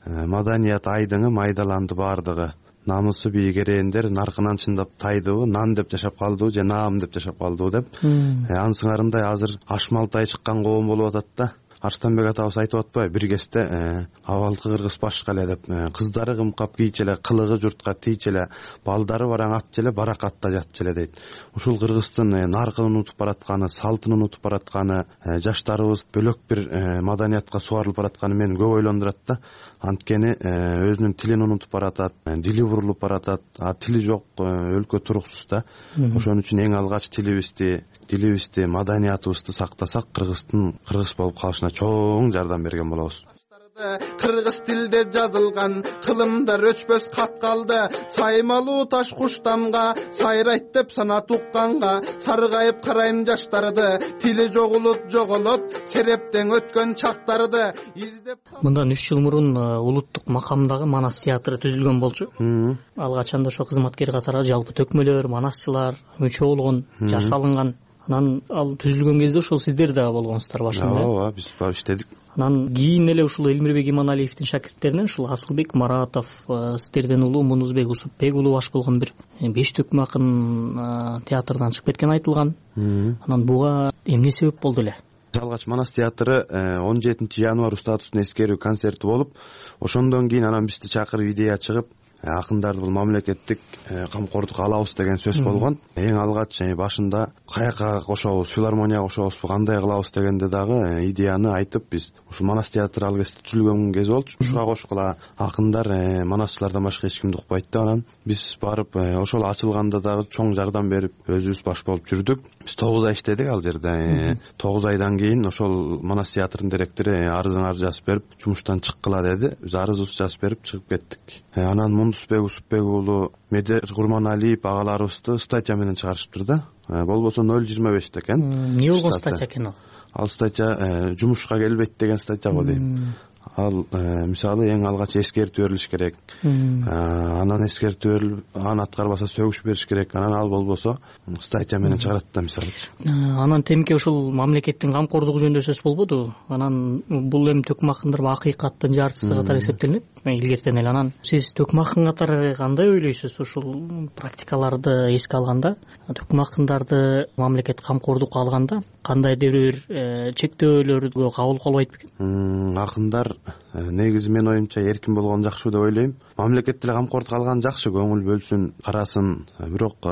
Маданият айдыңы майдаланды бардыгы. Намысы бийик эреендер наркынан чындап тайдыбы, нан деп жашап калдыбы же наам деп жашап калдыбы деп. Анын сыңарындай азыр ашмалтай чыккан коом болуп атат да. Арстанбек атабыз айтып атпайбы, бир кезде абалкы кыргыз башка эле деп. Кыздары кымкап кийчү эле, кылыгы журтка тийчү эле, балдары бараң атчу эле, баракатта жатчу эле дейт. Ушул кыргыздын наркын унутуп баратканы, салтын унутуп баратканы, жаштарыбыз бөлөк бир маданиятка суарылып баратканы мени көп ойлондурат да. Анткени өзүнүн тилин унутуп баратат, дили бурулуп баратат, а тили жок өлкө туруксуз да. Ошон үчүн эң алгач тилибизди, дилибизди, маданиятыбызды сактасак, кыргыздын кыргыз болуп калышына чоң жардам берген болобуз. кыргыз тилде жазылган кылымдар өчпөс кат калды. Саймалуу таш куштамга сайрайт деп санат укканга саргайып карайм жаштарды. Тили жоголот жоголот серептен өткөн чактарды издеп. Мындан үч жыл мурун улуттук макамдагы Манас театры түзүлгөн болчу. Ал качанда ошо кызматкер катары жалпы төкмөлөр, манасчылар мүчө болгон, жаш салынган. Анан ал түзүлгөн кезде ошол сиздер да болгонсуздар башында. Ооба, биз барып иштедик. Анан кийин эле ушул Элмирбек Иманалиевдин шакирттеринен ушул Асылбек Маратов, сиздерден улуу Мунузбек Усупбек улуу баш болгон бир беш төкмө акын театрдан чыгып кеткени айтылган. Анан буга эмне себеп болду эле? Алгач Манас театры он жетинчи январь устатууну эскерүү концерти болуп, ошондон кийин анан бизди чакырып идея чыгып, акындарды бул мамлекеттик камкордукка алабыз деген сөз болгон. Эң алгач башында каяка кошобуз, филармонияга кошобузбу, кандай кылабыз дегенде дагы идеяны айтып, биз ушул Манас театры ал кезде түзүлгөн кез болчу. Ушуга кошкула акындар, манасчылардан башка эч кимди укпайт деп, анан биз барып ошол ачылганда дагы чоң жардам берип, өзүбүз баш болуп жүрдүк. Биз тогуз ай иштедик ал жерде. тогуз айдан кийин ошол Манас театрынын директору арызыңарды жазып берип, жумуштан чыккыла деди. Биз арызыбызды жазып берип чыгып кеттик. Анан Мундусбек Усупбек уулу Медер Курманалиев агаларыбызды статья менен чыгарышыптыр да. Болбосо ноль жыйырма беш экен. Эмне болгон статья экен ал? Ал статья жумушка келбейт деген статья го дейм. Ал мисалы эң алгач эскертүү берилиш керек. Анан эскертүү берилип, аны аткарбаса сөгүш бериш керек. Анан ал болбосо статья менен чыгарат да мисалычы. Анан темке ушул мамлекеттин камкордугу жөнүндө сөз болбоду. Анан бул эми төкмө акындар акыйкаттын жартысы катары эсептелинет илгертен эле. Анан сиз төкмө акын катары кандай ойлойсуз ушул практикаларды эске алганда? Төкмө акындарды мамлекет камкордукка алганда кандайдыр бир чектөөлөргө кабыл кылбайт бекен? Акындар негизи менин оюмча эркин болгон жакшы деп ойлойм. Мамлекет деле камкордукка алган жакшы, көңүл бөлсүн, карасын. Бирок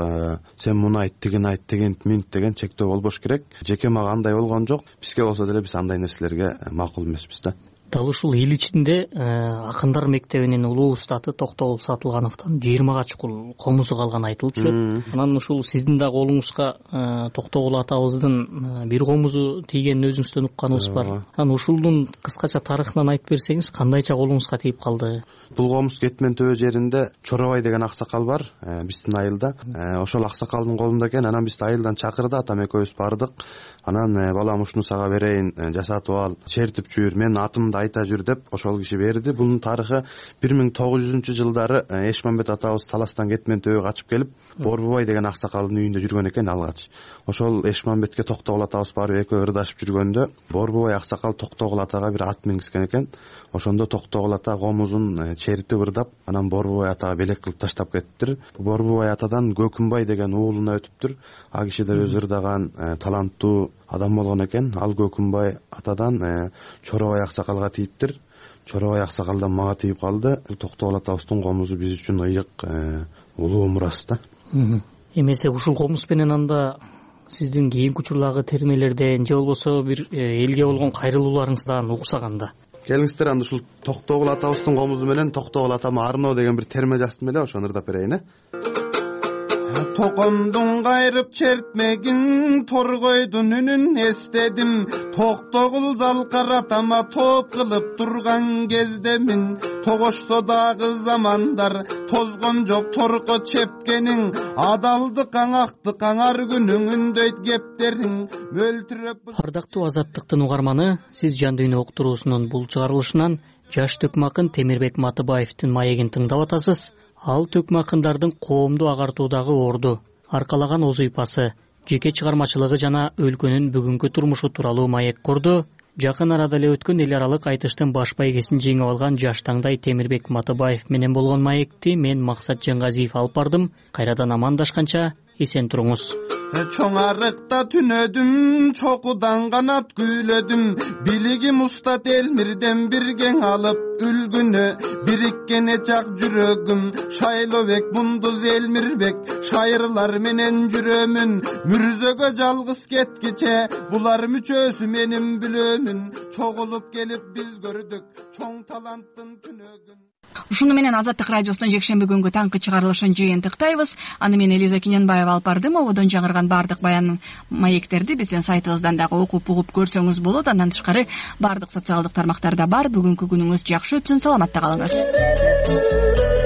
сен муну айт, тигини айт деген минт деген чектөө болбош керек. Жеке мага андай болгон жок. Бизге болсо деле биз андай нерселерге макул эмеспиз да. Дал ушул эл ичинде акындар мектебинин улуу устаты Токтогул Сатылгановдон жыйырмага чукул комузу калганы айтылып жүрөт. Анан ушул сиздин да колуңузга Токтогул атабыздын бир комузу тийгенин өзүңүздөн укканыбыз бар. Анан ушулдун кыскача тарыхынан айтып берсеңиз, кандайча колуңузга тийип калды? Бул комуз Кетмен төбө жеринде Чоробай деген аксакал бар, биздин айылда. Ошол аксакалдын колунда экен. Анан бизди айылдан чакырды, атам экөөбүз бардык. Анан балам ушуну сага берейин, жасатып ал, чертип жүр, мен атымды айта жүр деп ошол киши берди. Бунун тарыхы бир миң тогуз жүзүнчү жылдары Эшмамбет атабыз Таластан Кетмен төбөгө качып келип, Борбубай деген аксакалдын үйүндө жүргөн экен алгач. Ошол Эшмамбетке Токтогул атабыз барып экөө ырдашып жүргөндө Борбубай аксакал Токтогул атага бир ат мингизген экен. Ошондо Токтогул ата комузун чертип ырдап, анан Борбубай атага белек кылып таштап кетиптир. Борбубай атадан Көкүмбай деген уулуна өтүптүр. А киши да өзү ырдаган таланттуу адам болгон экен. Ал Көкүмбай атадан Чоробай аксакалга тийиптир. Чоробай аксакалдан мага тийип калды. Токтогул атабыздын комузу биз үчүн ыйык улуу мурас да. Эмесе ушул комуз менен анда сиздин кийинки учурдагы термелерден же болбосо бир элге болгон кайрылууларыңыздан угсаганда? Келиңиздер, анда ушул Токтогул атабыздын комузу менен Токтогул атама арноо деген бир терме жаздым эле, ошону ырдап берейин э. Токомдун кайрып чертмегин, торгойдун үнүн эстедим. Токтогул залкаратама топ кылып турган кезде мен, тогошсо дагы замандар тозгон жок торко чепкениң. Адалдыкаң, актыкаң ар күнүң үндөйт кептериң мөлтүрөп. Ардактуу Азаттыктын угарманы, сиз Жан дүйнө уктуруусунун бул чыгарылышынан жаш төкмө акын Темирбек Матыбаевдин маегин тыңдап атасыз. Ал төкмө акындардын коомду агартуудагы орду, аркалаган оз ыйпасы, жеке чыгармачылыгы жана өлкөнүн бүгүнкү турмушу тууралуу маек курду. Жакын арада эле өткөн эл аралык айтыштын баш байгесин жеңип алган жаш таңдай Темирбек Матыбаев менен болгон маекти мен Максат Жаңгазиев алып бардым. Кайрадан амандашканча эсен туруңуз. Чоң арыкта түнөдүм, чокудан канат күйлөдүм. Билигим устат Элмирден биргең алып үлгүнө. Бириккене жак жүрөгүм, Шайлообек Мундуз Элмирбек. Шайырлар менен жүрөмүн, мүрзөгө жалгыз кеткиче. Булар мүчөсү менин билөмүн. Чогулуп келип биз көрдүк чоң таланттын түнөгүн. Ушуну менен Азаттык радиосунун жекшемби күнгү таңкы чыгарылышын жыйынтыктайбыз. Аны мен Элиза Кененбаева алып бардым. Ободон жаңырган баардык баян маектерди биздин сайтыбыздан дагы окуп угуп көрсөңүз болот. Андан тышкары баардык социалдык тармактарда бар. Бүгүнкү күнүңүз жакшы өтсүн, саламатта калыңыз.